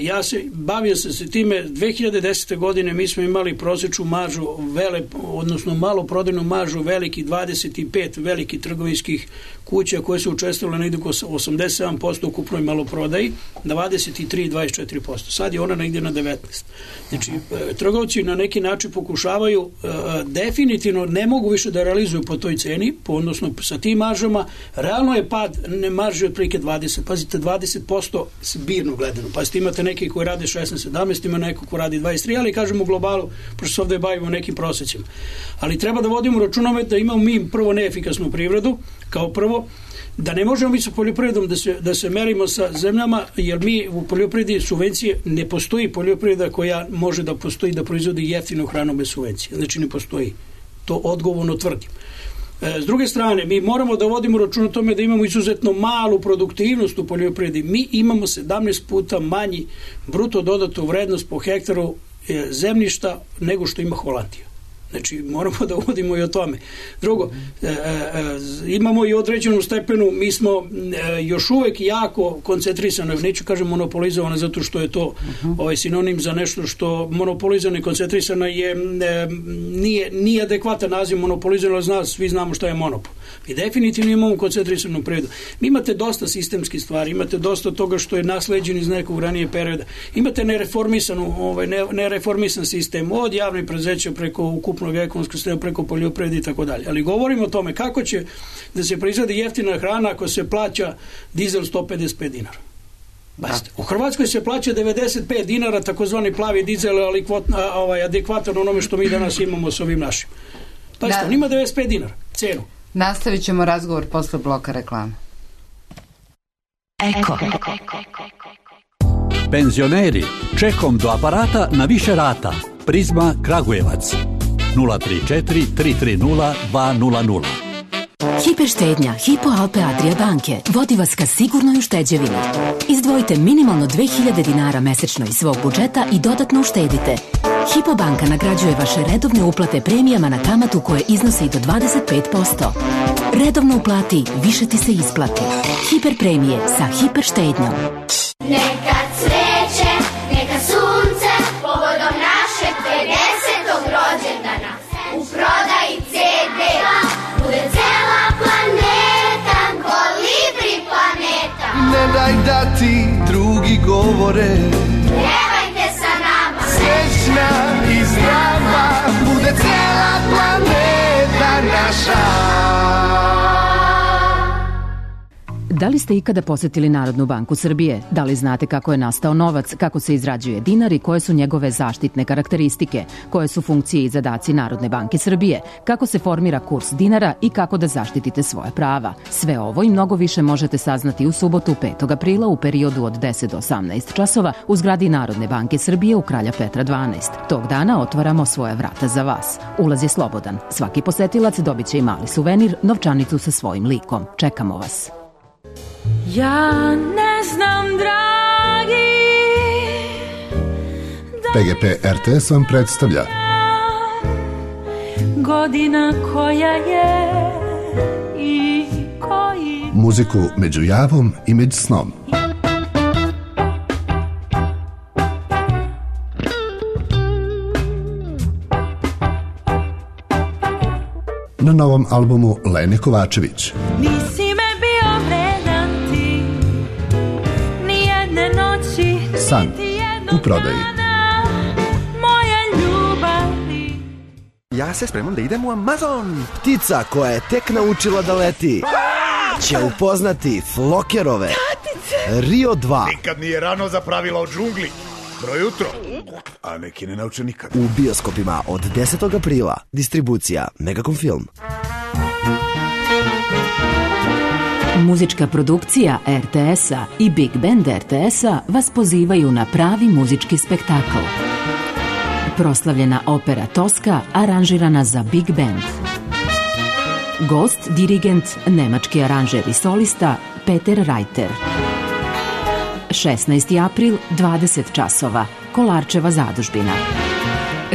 ja se bavio sam se time, dve hiljade desete. godine mi smo imali prosječnu maržu, vele, odnosno malo prodajnu maržu velikih dvadeset pet velikih trgovinskih kuća koje su učestvovale negdje oko osamdeset sedam posto ukupnoj maloprodaji, dvadeset tri do dvadeset četiri posto. Sad je ona negdje na devetnaest. Znači, trgovci na neki način pokušavaju, definitivno ne mogu više da realizuju po toj ceni, po, odnosno sa tim maržama, realno je pad ne marže otprilike dvadeset, pazite, dvadeset posto zbirno gledano. Pazite, imate neki koji rade šesnaest sedamnaest, ima neko ko radi dvadeset tri, ali kažemo u globalu, pošto se ovdje bavimo nekim prosjecima. Ali treba da vodimo računove da imamo mi prvo neefikasnu privredu, kao prvo, da ne možemo mi sa poljoprivredom da se, da se merimo sa zemljama, jer mi u poljoprivredi subvencije, ne postoji poljoprivreda koja može da postoji da proizvodi jeftinu hranu bez subvencije. Znači ne postoji. To odgovorno tvrdim. S druge strane, mi moramo da vodimo račun o tome da imamo izuzetno malu produktivnost u poljoprivredi. Mi imamo sedamnaest puta manji bruto dodatu vrednost po hektaru zemljišta nego što ima Holandija. Znači, moramo da uvodimo i o tome. Drugo, e, e, imamo i određenu stepenu, mi smo e, još uvek jako koncentrisano, neću kažem monopolizovano, zato što je to uh-huh. ovaj sinonim za nešto što monopolizovano i koncentrisano je, e, nije, nije adekvatan naziv monopolizovano, zna, svi znamo šta je monopol. Mi definitivno imamo koncentrisanu privredu. Mi imate dosta sistemskih stvari, imate dosta toga što je nasleđen iz nekog ranije perioda. Imate nereformisanu, ovaj, nereformisan sistem od javnih preduzeća preko ukupnog ekonomskog sistema, preko poljoprivrede i tako dalje. Ali govorimo o tome kako će da se proizvodi jeftina hrana ako se plaća dizel sto pedeset pet dinara. Basta. U Hrvatskoj se plaća devedeset pet dinara, takozvani plavi dizel, ali kvot, a, ovaj, adekvatan onome što mi danas imamo s ovim našim. Basta, on ima devedeset pet dinara, cenu. Nastavit ćemo razgovor posle bloka reklame. Eko. Penzioneri, čekom do aparata na više rata. Prizma Kragujevac. nula tri četiri tri tri nula dva nula nula. Hiperštednja Hypo Alpe Adria banke vodi vas ka sigurnoj ušteđevini. Izdvojite minimalno dve hiljade dinara mesečno iz svog budžeta i dodatno uštedite. Hypo banka nagrađuje vaše redovne uplate premijama na kamatu koje iznose i do dvadeset pet posto. Redovno uplati, više ti se isplati. Hiper premije sa hiperštednjom. Neka cveće, neka sunce, povodom našeg pedesetog rođendana. U prodaji ce de bude cela planeta, kolibri planeta. Ne daj da ti drugi govore, pjevajte sa nama. Srećna i zdrava bude cela planeta naša. Da li ste ikada posetili Narodnu banku Srbije? Da li znate kako je nastao novac, kako se izrađuje dinar i koje su njegove zaštitne karakteristike? Koje su funkcije i zadaci Narodne banke Srbije? Kako se formira kurs dinara i kako da zaštitite svoje prava? Sve ovo i mnogo više možete saznati u subotu petog aprila u periodu od deset do osamnaest časova u zgradi Narodne banke Srbije u Kralja Petra dvanaest. Tog dana otvaramo svoje vrata za vas. Ulaz je slobodan. Svaki posetilac dobit će i mali suvenir, novčanicu sa svojim likom. Čekamo vas. Ja ne znam, dragi, P G P R T S vam predstavlja godina koja je i koji muziku među javom i među snom. Na novom albumu Lene Kovačević. Nisi me bio vredan ti, nijedne noći, San u prodaji. Ja se spremam da idem u Amazon. Ptica koja je tek naučila da leti će upoznati Flokerove Rio dva. Nikad nije rano za pravila o džungli. Dobro jutro. A neki ne nauče nikad. U bioskopima od desetog aprila. Distribucija Megacom Film. Muzička produkcija er te es-a i Big Band er te es-a vas pozivaju na pravi muzički spektakl. Proslavljena opera Toska aranžirana za Big Band. Gost, dirigent, nemački aranžer i solista Peter Reiter. šesnaesti april, dvadeset časova, Kolarčeva zadužbina.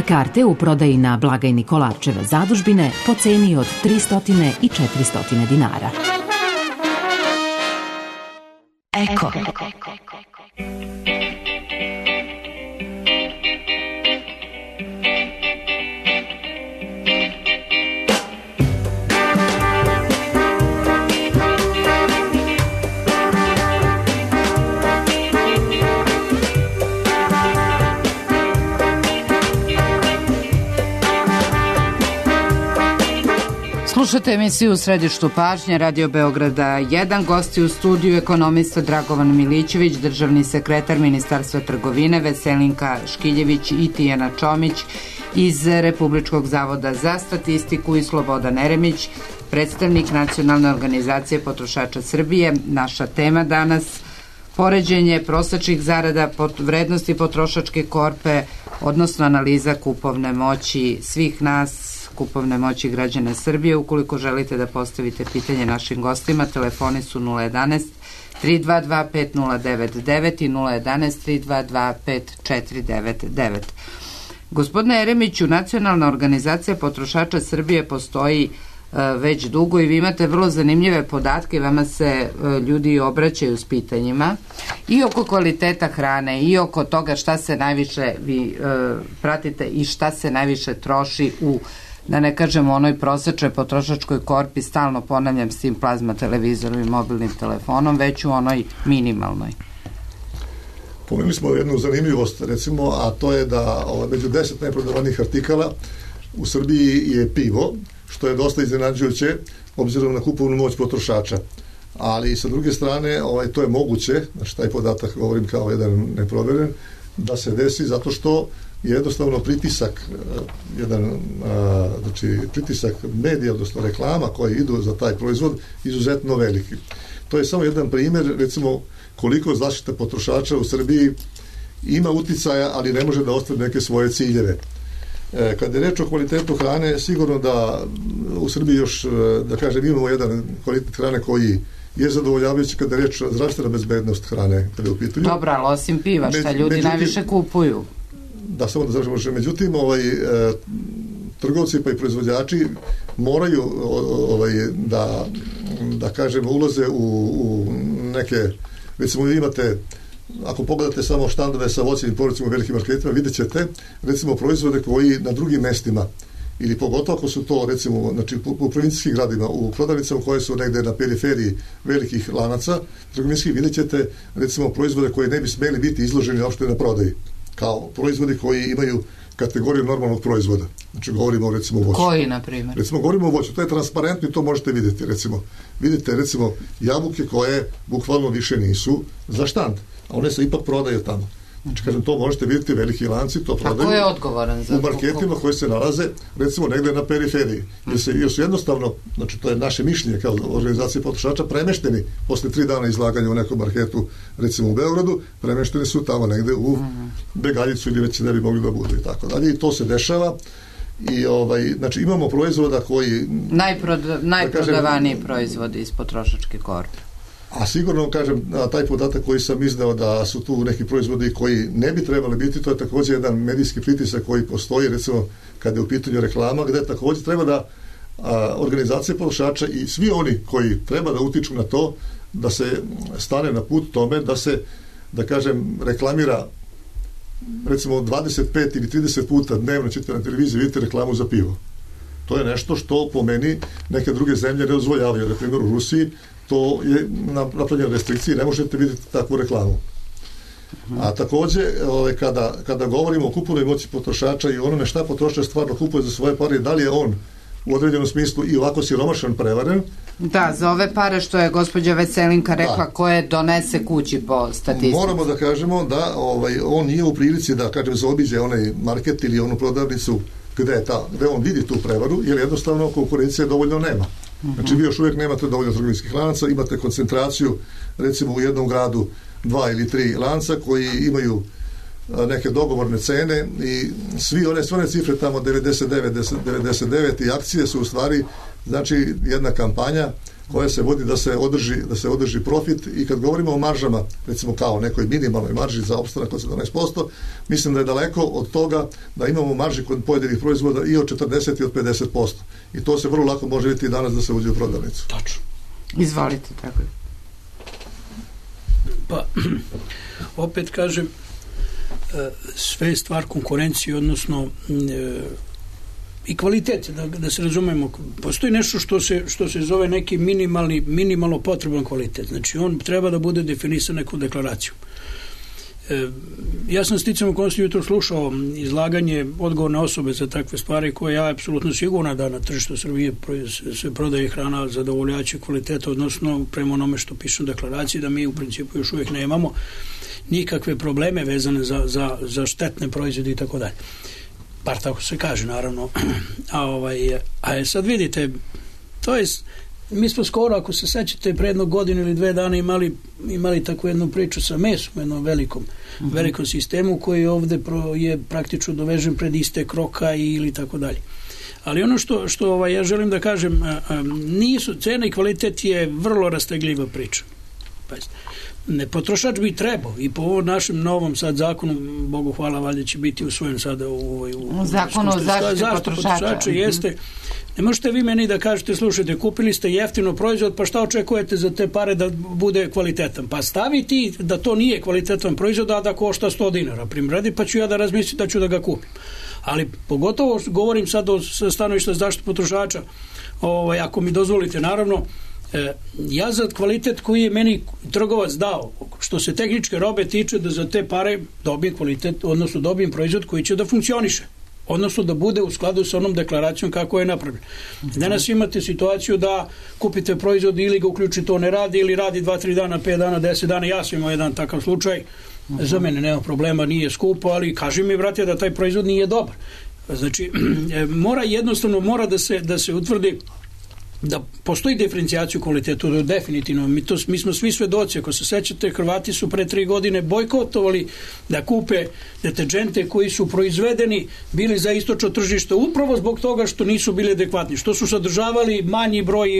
Karte u prodaji na blagajni Kolarčeve zadužbine po ceni od tristo i četiristo dinara. Eko. Slušate emisiju u središtu pažnje Radio Beograda jedan. Gosti u studiju ekonomista Dragovan Milićević, državni sekretar Ministarstva trgovine Veselinka Škiljević i Tijana Čomić iz Republičkog zavoda za statistiku i Slobodan Eremić, predstavnik Nacionalne organizacije potrošača Srbije. Naša tema danas poređenje prosečnih zarada, vrednosti potrošačke korpe, odnosno analiza kupovne moći svih nas, kupovne moći građana Srbije. Ukoliko želite da postavite pitanje našim gostima, telefoni su nula jedanaest tri dva dva pet nula devet devet i nula jedanaest tri dva dva pet četiri devet devet. Gospodine Eremiću, Nacionalna organizacija potrošača Srbije postoji uh, već dugo i vi imate vrlo zanimljive podatke, vama se uh, ljudi obraćaju s pitanjima i oko kvaliteta hrane i oko toga šta se najviše vi uh, pratite i šta se najviše troši u, da ne kažemo, onoj prosečnoj potrošačkoj korpi, stalno ponavljam, s tim plazma televizorom i mobilnim telefonom, već u onoj minimalnoj. Pomenuli smo jednu zanimljivost, recimo, a to je da o, među deset najprodavanijih artikala u Srbiji je pivo, što je dosta iznenađujuće obzirom na kupovnu moć potrošača. Ali sa druge strane, ovaj, to je moguće, znači taj podatak govorim kao jedan neproveren, da se desi zato što je jednostavno pritisak jedan, a, znači pritisak medija, odnosno reklama koji idu za taj proizvod izuzetno veliki. To je samo jedan primjer, recimo koliko zaštita potrošača u Srbiji ima uticaja, ali ne može da ostvari neke svoje ciljeve. E, kad je reč o kvalitetu hrane, sigurno da u Srbiji još, da kažem, imamo jedan kvalitet hrane koji je zadovoljavajući kada je reč o zdravstvena bezbednost hrane kada je u pitanju. Dobra, ali osim piva, šta ljudi međutim, najviše kupuju? Da, samo da završimo. Međutim, ovaj, e, trgovci pa i proizvođači moraju ovaj, da, da kažem, ulaze u, u neke, recimo imate, ako pogledate samo štandove sa voćem i povrćem u velikim marketima, vidjet ćete, recimo, proizvode koji na drugim mestima, ili pogotovo ako su to, recimo, znači, u provincijskim gradima, u prodavnicama koje su negde na periferiji velikih lanaca trgovinskih, vidjet ćete, recimo, proizvode koji ne bi smeli biti izloženi uopšte na prodaji, kao proizvodi koji imaju kategoriju normalnog proizvoda. Znači, govorimo recimo o voću. Koji, na primjer? Recimo, govorimo o voću. To je transparentno i to možete vidjeti. Recimo, vidite, recimo, jabuke koje bukvalno više nisu za štand, a one se ipak prodaju tamo. Znači, kažem, to možete vidjeti, veliki lanci to prodaju. A ko je odgovoran za u marketima koji se nalaze, recimo, negde na periferiji. Jer, se, jer su jednostavno, znači, to je naše mišljenje kao organizacije potrošača, premešteni posle tri dana izlaganja u nekom marketu, recimo u Beogradu, premešteni su tamo negde u Begaljicu ili već ne bi mogli da budu i tako dalje. I to se dešava. I ovaj, znači, imamo proizvoda koji... Najproda, najprodavaniji da proizvodi iz potrošačke korpe. A sigurno, kažem, taj podatak koji sam izdao da su tu neki proizvodi koji ne bi trebali biti, to je također jedan medijski pritisak koji postoji, recimo, kada je u pitanju reklama, gde također treba da a, organizacije potrošača i svi oni koji treba da utiču na to, da se stane na put tome, da se, da kažem, reklamira recimo dvadeset pet ili trideset puta dnevno ćete na televiziji vidite reklamu za pivo. To je nešto što po meni neke druge zemlje ne dozvoljavaju. Na primjer u Rusiji to je napravljeno restrikcije, ne možete vidjeti takvu reklamu. A takođe, ovaj, kada, kada govorimo o kupovnoj moći potrošača i onome šta potrošač stvarno kupuje za svoje pare, da li je on u određenom smislu i ovako siromašan, prevaren. Da, za ove pare što je gospođa Veselinka rekla, da, koje donese kući po statistici. Moramo da kažemo da ovaj, on nije u prilici da, kažem, zaobiđe onaj market ili onu prodavnicu gde, je ta, gde on vidi tu prevaru, jer jednostavno konkurencije dovoljno nema. Znači vi još uvijek nemate dovoljno trgovinskih lanaca, imate koncentraciju recimo u jednom gradu dva ili tri lanca koji imaju neke dogovorne cene i svi one, sve one cifre tamo devedeset devet devedeset devet i akcije su u stvari znači jedna kampanja koja se vodi da se održi, da se održi profit i kad govorimo o maržama, recimo kao nekoj minimalnoj marži za opstanak od sedamnaest posto, mislim da je daleko od toga da imamo marži kod pojedinih proizvoda i od četrdeset i od pedeset posto. I to se vrlo lako može vidjeti danas da se uđe u prodavnicu. Tačno. Izvolite, tako je. Pa, opet kažem, sve je stvar konkurencije, odnosno i kvalitet, da, da se razumemo. Postoji nešto što se, što se zove neki minimalni, minimalno potreban kvalitet. Znači, on treba da bude definisan nekom deklaracijom. E, ja sam sticam u konstitut jutro slušao izlaganje odgovorne osobe za takve stvari koje ja apsolutno sigurna da na tržištu Srbije se prodaje hrana zadovoljavajućeg kvaliteta, odnosno prema onome što piše u deklaraciji, da mi u principu još uvijek nemamo nikakve probleme vezane za, za, za štetne proizvode i tako dalje. Bar tako se kaže, naravno. A, ovaj, a sad vidite, to je, mi smo skoro, ako se sećate, pre jednog godinu ili dve dana imali, imali takvu jednu priču sa mesom, jednom velikom, uh-huh. velikom sistemu koji ovde pro, je praktično dovežen pred istek roka ili tako dalje. Ali ono što, što ovaj, ja želim da kažem, a, a, nisu, cena i kvalitet je vrlo rastegljiva priča. Pazite. Ne, potrošač bi trebao i po ovom našem novom sad zakonu, Bogu hvala, valjda će biti usvojen sada u, u, u zakonu o zaštiti potrošača. potrošača jeste, ne možete vi meni da kažete, slušajte, kupili ste jeftino proizvod, pa šta očekujete za te pare da bude kvalitetan? Pa stavi ti da to nije kvalitetan proizvod, a da košta sto dinara, primredi, pa ću ja da razmislim da ću da ga kupim. Ali pogotovo govorim sad o stanovišta zaštite potrošača, ovaj, ako mi dozvolite, naravno, ja za kvalitet koji je meni trgovac dao, što se tehničke robe tiče, da za te pare dobijem kvalitet, odnosno dobijem proizvod koji će da funkcioniše, odnosno da bude u skladu sa onom deklaracijom kako je napravljen. Danas imate situaciju da kupite proizvod ili ga uključite, on ne radi, ili radi dva tri dana, pet dana, deset dana. Ja sam imao jedan takav slučaj, za mene nema problema, nije skupo, ali kaži mi, brate, da taj proizvod nije dobar. Znači, mora jednostavno, mora da se, da se utvrdi da postoji diferencijaciju kvalitetu, definitivno. Mi, to, mi smo svi svedoci. Ako se sećate, Hrvati su pre tri godine bojkotovali da kupe deterđente koji su proizvedeni, bili za istočno tržište upravo zbog toga što nisu bili adekvatni, što su sadržavali manji broj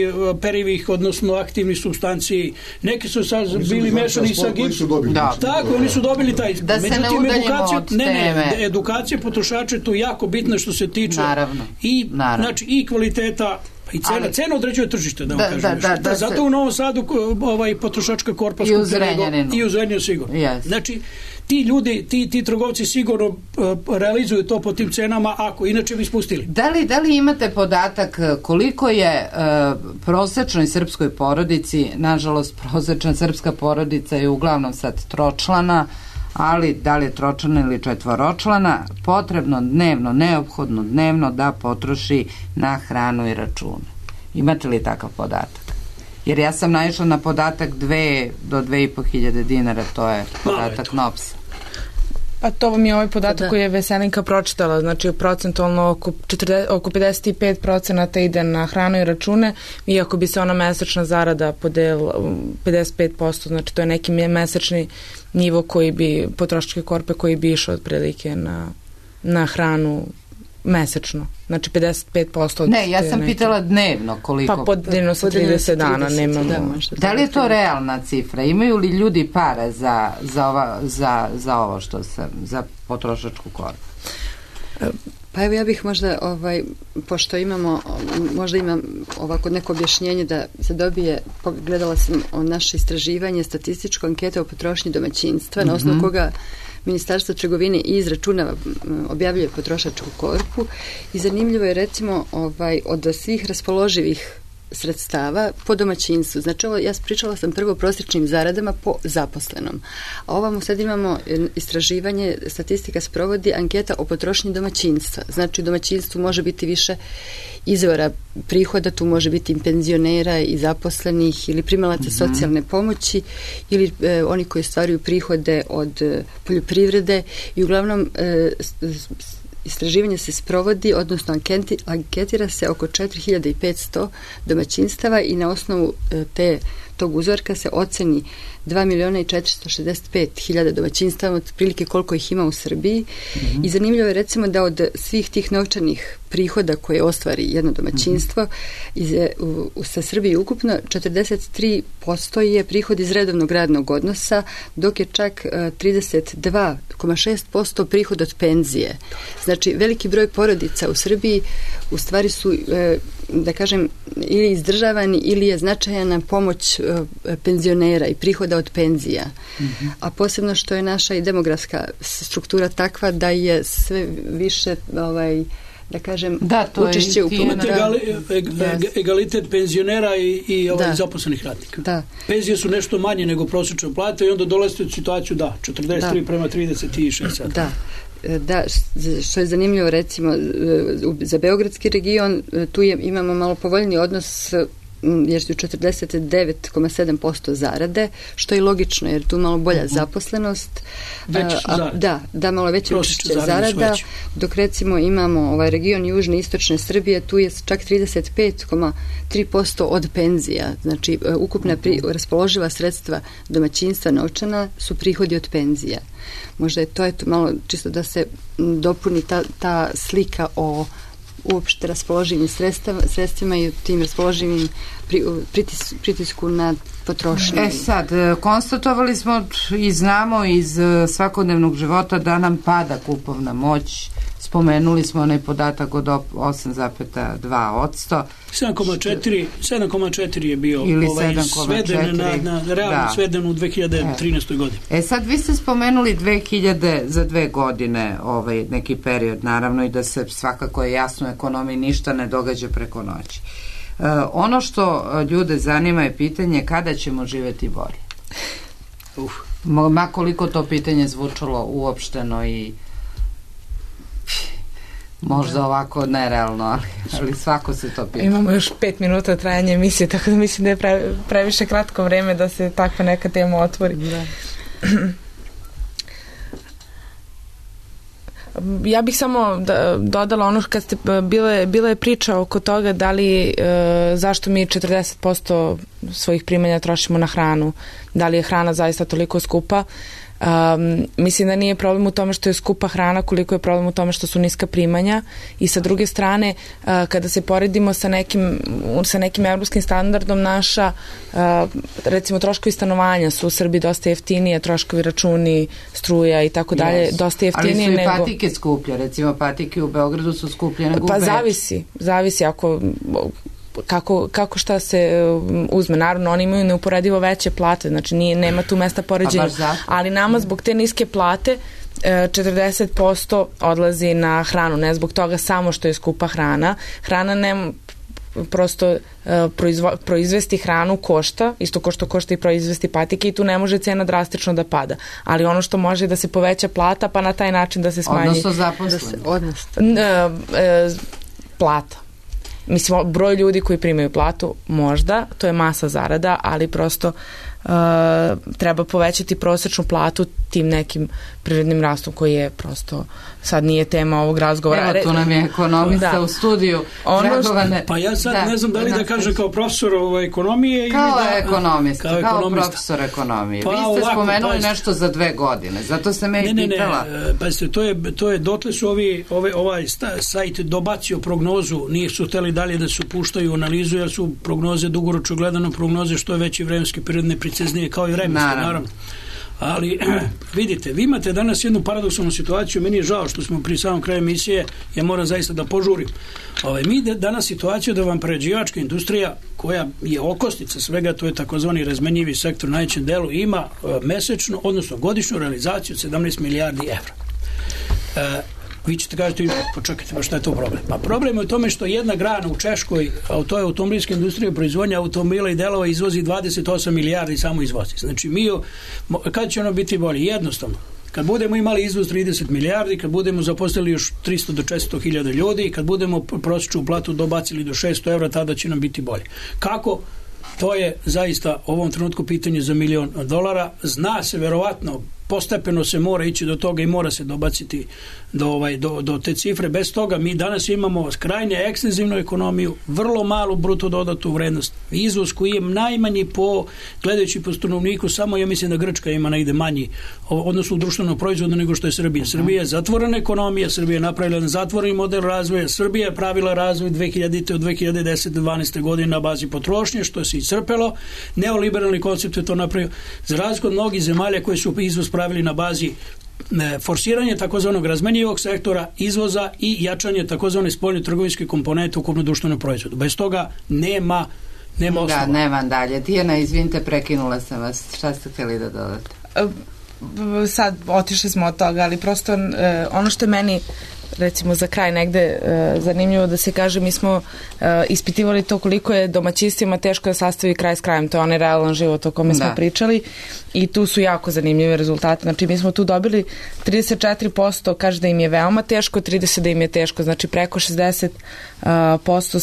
perivih, odnosno aktivnih supstanciji. Neki su sad bili mešani sa gipsom. Da. Tako, oni su dobili taj. Da se ne udaljimo od ne, ne, edukacija potrošača je tu jako bitna što se tiče Naravno. i, Naravno. Znači, i kvaliteta i cena, ali, cena određuje tržište, da vam da, kažem. Da, da, da, zato se... u Novom Sadu ovaj, potrošačka korpa i u Zrenjaninu. I u Zrenjaninu sigurno. Yes. Znači, ti ljudi, ti, ti trgovci sigurno uh, realizuju to po tim cenama, ako inače bi spustili. Da li, da li imate podatak koliko je uh, prosečnoj srpskoj porodici, nažalost prosečna srpska porodica je uglavnom sad tročlana, ali da li je tročlana ili četvoročlana, potrebno dnevno, neophodno dnevno da potroši na hranu i račune. Imate li takav podatak? Jer ja sam naišla na podatak dve do dve i po hiljade dinara, to je podatak N O P S. Pa to vam je ovaj podatak da. koji je Veselinka pročitala, znači procentualno oko, četrdeset, oko pedeset pet procenata ide na hranu i račune, iako bi se ona mesečna zarada podelila pedeset pet posto, znači to je neki mesečni nivo koji bi, potrošačke korpe koji bi išao otprilike na, na hranu mesečno. Znači pedeset pet posto od Ne, ja sam neki... pitala dnevno koliko. Pa podeljeno sa trideset dana, nemamo. Da, da li je to realna cifra? Imaju li ljudi para za, za, ova, za, za ovo što sam, za potrošačku korpu? Pa evo ja bih možda, ovaj, pošto imamo, možda imam ovako neko objašnjenje da se dobije, gledala sam o naše istraživanje, statističko ankete o potrošnji domaćinstva, mm-hmm. na osnovu koga Ministarstvo trgovine izračunava, objavljuje potrošačku korpu i zanimljivo je recimo ovaj, od svih raspoloživih sredstava po domaćinstvu. Znači, ovo, ja pričala sam prvo o prosječnim zaradama po zaposlenom. A ovamo sad imamo istraživanje, statistika sprovodi anketa o potrošnji domaćinstva. Znači, u domaćinstvu može biti više izvora prihoda, tu može biti i penzionera i zaposlenih ili primalaca mm-hmm. socijalne pomoći ili e, oni koji stvaraju prihode od e, poljoprivrede i uglavnom e, istraživanje se sprovodi, odnosno anketi, anketira se oko četiri hiljade petsto domaćinstava i na osnovu e, te tog uzorka se oceni dva miliona i četiristo šezdeset pet hiljada domaćinstava, otprilike koliko ih ima u Srbiji. Mm-hmm. I zanimljivo je recimo da od svih tih novčanih prihoda koje ostvari jedno domaćinstvo mm-hmm. iz, u, u, sa Srbiji ukupno četrdeset tri posto je prihod iz redovnog radnog odnosa, dok je čak uh, trideset dva zarez šest posto prihod od penzije. Znači, veliki broj porodica u Srbiji u stvari su, uh, da kažem, ili izdržavani ili je značajna pomoć uh, penzionera i prihoda od penzija. Mm-hmm. A posebno što je naša i demografska struktura takva da je sve više ovaj, da kažem, da, to učešće je u pomoći. Egali, egalitet penzionera i, i ovaj da. zaposlenih radnika. Da. Penzije su nešto manje nego prosječna plata i onda dolazite u situaciju da, četrdeset tri da. prema trideset šest. Da. Da, što je zanimljivo recimo za beogradski region, tu je, imamo malo povoljni odnos jer su četrdeset devet zarez sedam posto zarade, što je logično jer tu malo bolja uh-huh. zaposlenost. Veće su zarade. Da, da, malo veće učešće zarada, dok recimo imamo ovaj region južne i istočne Srbije, tu je čak trideset pet zarez tri posto od penzija. Znači, ukupna pri, raspoloživa sredstva domaćinstva novčana su prihodi od penzija. Možda je to, je to malo čisto da se dopuni ta, ta slika o uopšte raspoloživim sredstvima, sredstvima i tim raspoloživim pritis, pritisku na potrošnju. E sad, konstatovali smo i znamo iz svakodnevnog života da nam pada kupovna moć. Spomenuli smo onaj podatak od osam zarez dva posto. sedam zarez četiri je bio ili ovaj, sveden na, na realno da. sveden u dve hiljade trinaestoj. godini. E sad, vi ste spomenuli dve hiljade za dve godine ovaj neki period, naravno, i da se svakako je jasno u ekonomiji ništa ne događa preko noći. E, ono što ljude zanima je pitanje kada ćemo živjeti bolje. Uf. Ma koliko to pitanje zvučalo uopšteno i možda ovako nerealno, ali, ali svako se to pita. Imamo još pet minuta trajanja emisije, tako da mislim da je pravi, previše kratko vreme da se takva neka tema otvori. Da. Ja bih samo da, dodala ono kad ste bile, bila je priča oko toga da li e, zašto mi četrdeset posto svojih primanja trošimo na hranu, da li je hrana zaista toliko skupa. Um, mislim da nije problem u tome što je skupa hrana, koliko je problem u tome što su niska primanja i sa druge strane uh, kada se poredimo sa nekim, sa nekim evropskim standardom naša uh, recimo troškovi stanovanja su u Srbiji dosta jeftinije, troškovi računi, struja i tako dalje, dosta jeftinije nego... Ali su i patike skuplje, recimo patike u Beogradu su skuplje nego pa u Beču. Pa zavisi, zavisi ako... Kako, kako šta se uzme. Naravno, oni imaju neuporedivo veće plate, znači nije, nema tu mesta poređenja. Ali nama zbog te niske plate četrdeset posto odlazi na hranu. Ne zbog toga samo što je skupa hrana. Hrana ne prosto proizvo, proizvesti hranu košta, isto ko što košta i proizvesti patike i tu ne može cena drastično da pada. Ali ono što može da se poveća plata, pa na taj način da se smanji... Odnosno zaposlenost. Odnosno. Plata. Mislim, broj ljudi koji primaju platu, možda, to je masa zarada, ali prosto uh, treba povećati prosječnu platu tim nekim prirodnim rastom koji je prosto, sad nije tema ovog razgovora. Evo, tu nam je ekonomista da. u studiju. Ono što, pa ja sad da, ne znam da li da, da kažem kao profesor ovaj, ekonomije kao ili da... Ekonomista, kao, kao profesor ekonomije. Pa, vi ste ovako, spomenuli pa, nešto za dve godine, zato se me ne, ne, pitala. Ne, ne, pa ste, to je, to je, dotle su ovi, ove, ovaj sajt dobacio prognozu, nije su hteli dalje da su puštaju analizu, jer su prognoze dugoročno gledano prognoze što je veći vremenski period nepreciznije kao i vremenski, naravno. naravno. Ali, vidite, vi imate danas jednu paradoksalnu situaciju, meni je žao što smo pri samom kraju emisije, ja moram zaista da požurim. Ove, mi danas situaciju da vam prerađivačka industrija, koja je okosnica svega, to je takozvani razmenjivi sektor u najvećem delu, ima uh, mesečno, odnosno godišnju realizaciju sedamnaest milijardi evra. Uh, Vi ćete kažete, počekajte, pa šta je to problem? Pa problem je u tome što jedna grana u Češkoj, a to je automobilska industrija, proizvodnja automobila i delova, izvozi dvadeset osam milijardi samo izvozi. Znači mi, kad će ono biti bolje? Jednostavno. Kad budemo imali izvoz trideset milijardi, kad budemo zaposlili još tristo do četiristo hiljada ljudi, kad budemo prosječnu platu dobacili do šesto evra, tada će nam biti bolje. Kako? To je zaista u ovom trenutku pitanje za milion dolara. Zna se verovatno, postepeno se mora ići do toga i mora se dobaciti do, ovaj, do, do te cifre. Bez toga mi danas imamo krajnje ekstenzivnu ekonomiju, vrlo malu bruto dodatu vrednost. Izvoz koji je najmanji po, gledajući po stanovniku, samo ja mislim da Grčka ima negde manji, odnosno u društvenom proizvodu nego što je Srbija. Srbija je zatvorena ekonomija, Srbija je napravila jedan zatvoreni model razvoja, Srbija je pravila razvoj dve hiljadite od dve hiljade desete do dvanaeste godine na bazi potrošnje, što se iscrpelo. Neoliberalni koncept je to napravio. Za razliku od mnogih zemalja koje su izvoz pravili na bazi forsiranje takozvanog razmenjivog sektora, izvoza i jačanje takozvane spoljne trgovinske komponente u ukupnom društvenom proizvodu. Bez toga nema nema osnova. Da, nema dalje. Tijana, izvinite, prekinula sam vas. Šta ste htjeli da dodate? Sad otišli smo od toga, ali prosto ono što je meni recimo za kraj negde uh, zanimljivo da se kaže, mi smo uh, ispitivali to koliko je domaćinstvima teško da sastavi kraj s krajem, to je onaj realan život o kome smo da. pričali i tu su jako zanimljive rezultate. Znači mi smo tu dobili trideset četiri posto kaže da im je veoma teško, trideset da im je teško, znači preko šezdeset posto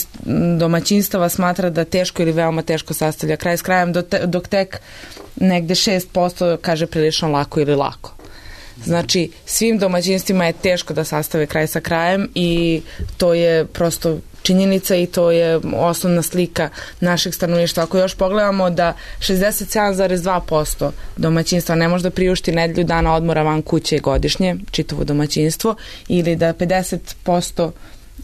domaćinstava smatra da teško ili veoma teško sastavlja kraj s krajem, dok tek negde šest posto kaže prilično lako ili lako. Znači, svim domaćinstvima je teško da sastave kraj sa krajem i to je prosto činjenica i to je osnovna slika našeg stanovništva. Ako još pogledamo da šezdeset sedam zarez dva posto domaćinstva ne može da priušti nedelju dana odmora van kuće godišnje, čitavo domaćinstvo, ili da pedeset posto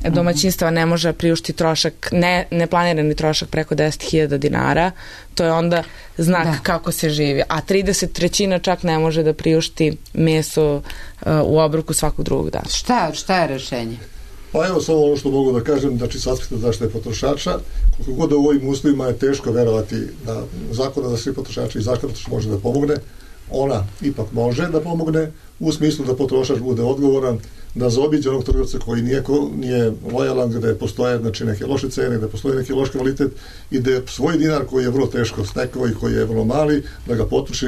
domaćinstva ne može priušti trošak, ne, neplanirani trošak preko deset hiljada dinara, to je onda znak da. kako se živi. A trideset trećina čak ne može da priušti meso uh, u obroku svakog drugog dana. Šta, šta je rešenje? Pa evo samo ono što mogu da kažem, znači s aspekta zaštite potrošača, koliko god u ovim uslovima je teško verovati da zakona za svi potrošači i zaštita potrošača može da pomogne, ona ipak može da pomogne u smislu da potrošač bude odgovoran, da zaobiđe onog trgovca koji nije, nije lojalan, gde postoje znači, neke loše cene, gde postoji neki loš kvalitet i da svoj dinar koji je vrlo teško stekao i koji je vrlo mali, da ga potroši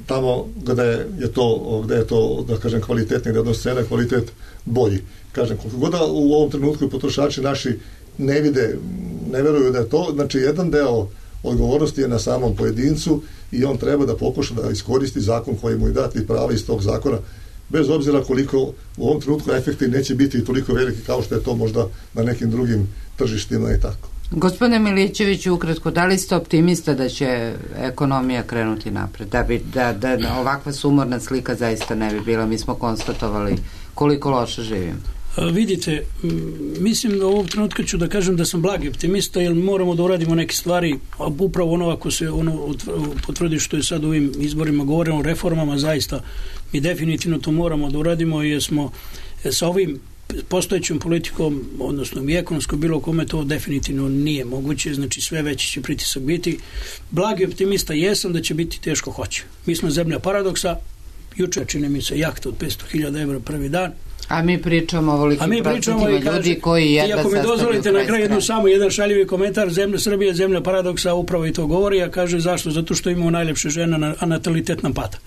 tamo gde je to, gde je to da kažem, kvalitetni, gde odnos cena kvalitet bolji. Kažem, koliko god u ovom trenutku potrošači naši ne vide, ne veruju da je to, znači jedan deo odgovornosti je na samom pojedincu i on treba da pokuša da iskoristi zakon koji mu je dati prava iz tog zakona, bez obzira koliko u ovom trenutku efekti neće biti toliko veliki kao što je to možda na nekim drugim tržištima i tako. Gospodine Milićeviću, ukratko, da li ste optimista da će ekonomija krenuti napred? Da, bi, da, da ovakva sumorna slika zaista ne bi bila. Mi smo konstatovali koliko loše živimo. Vidite, mislim da u ovom trenutku ću da kažem da sam blagi optimista, jer moramo da uradimo neke stvari, a upravo ono ako se ono potvrdi što je sad u ovim izborima govorimo o reformama, zaista mi definitivno to moramo da uradimo, jer smo sa ovim postojećom politikom, odnosno i ekonomsko bilo kome to definitivno nije moguće, znači sve veći će pritisak biti. Blagi optimista jesam da će biti teško hoće. Mi smo zemlja paradoksa, juče čini mi se jahta od petsto hiljada evra prvi dan. A mi pričamo o ovolikim procentima ljudi koji jedva sastavljaju. I ako mi dozvolite na kraju jednu samo jedan šaljivi komentar, zemlja Srbije, zemlja paradoksa, upravo i to govori, a kaže zašto? Zato što imamo najlepše žene, a natalitet nam pada.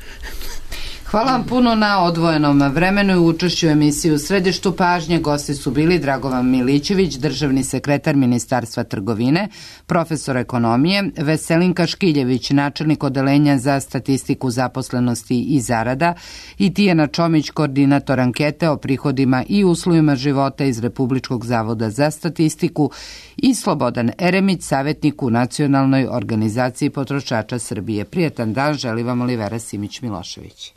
Hvala vam puno na odvojenom vremenu i učešću u emisiji. U središtu pažnje gosti su bili Dragovan Milićević, državni sekretar Ministarstva trgovine, profesor ekonomije, Veselinka Škiljević, načelnik odeljenja za statistiku zaposlenosti i zarada, i Tijana Čomić, koordinator ankete o prihodima i uslovima života iz Republičkog zavoda za statistiku, i Slobodan Eremić, savjetnik u Nacionalnoj organizaciji potrošača Srbije. Prijetan dan želi vam Olivera Simić-Milošević.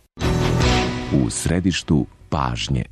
U središtu pažnje.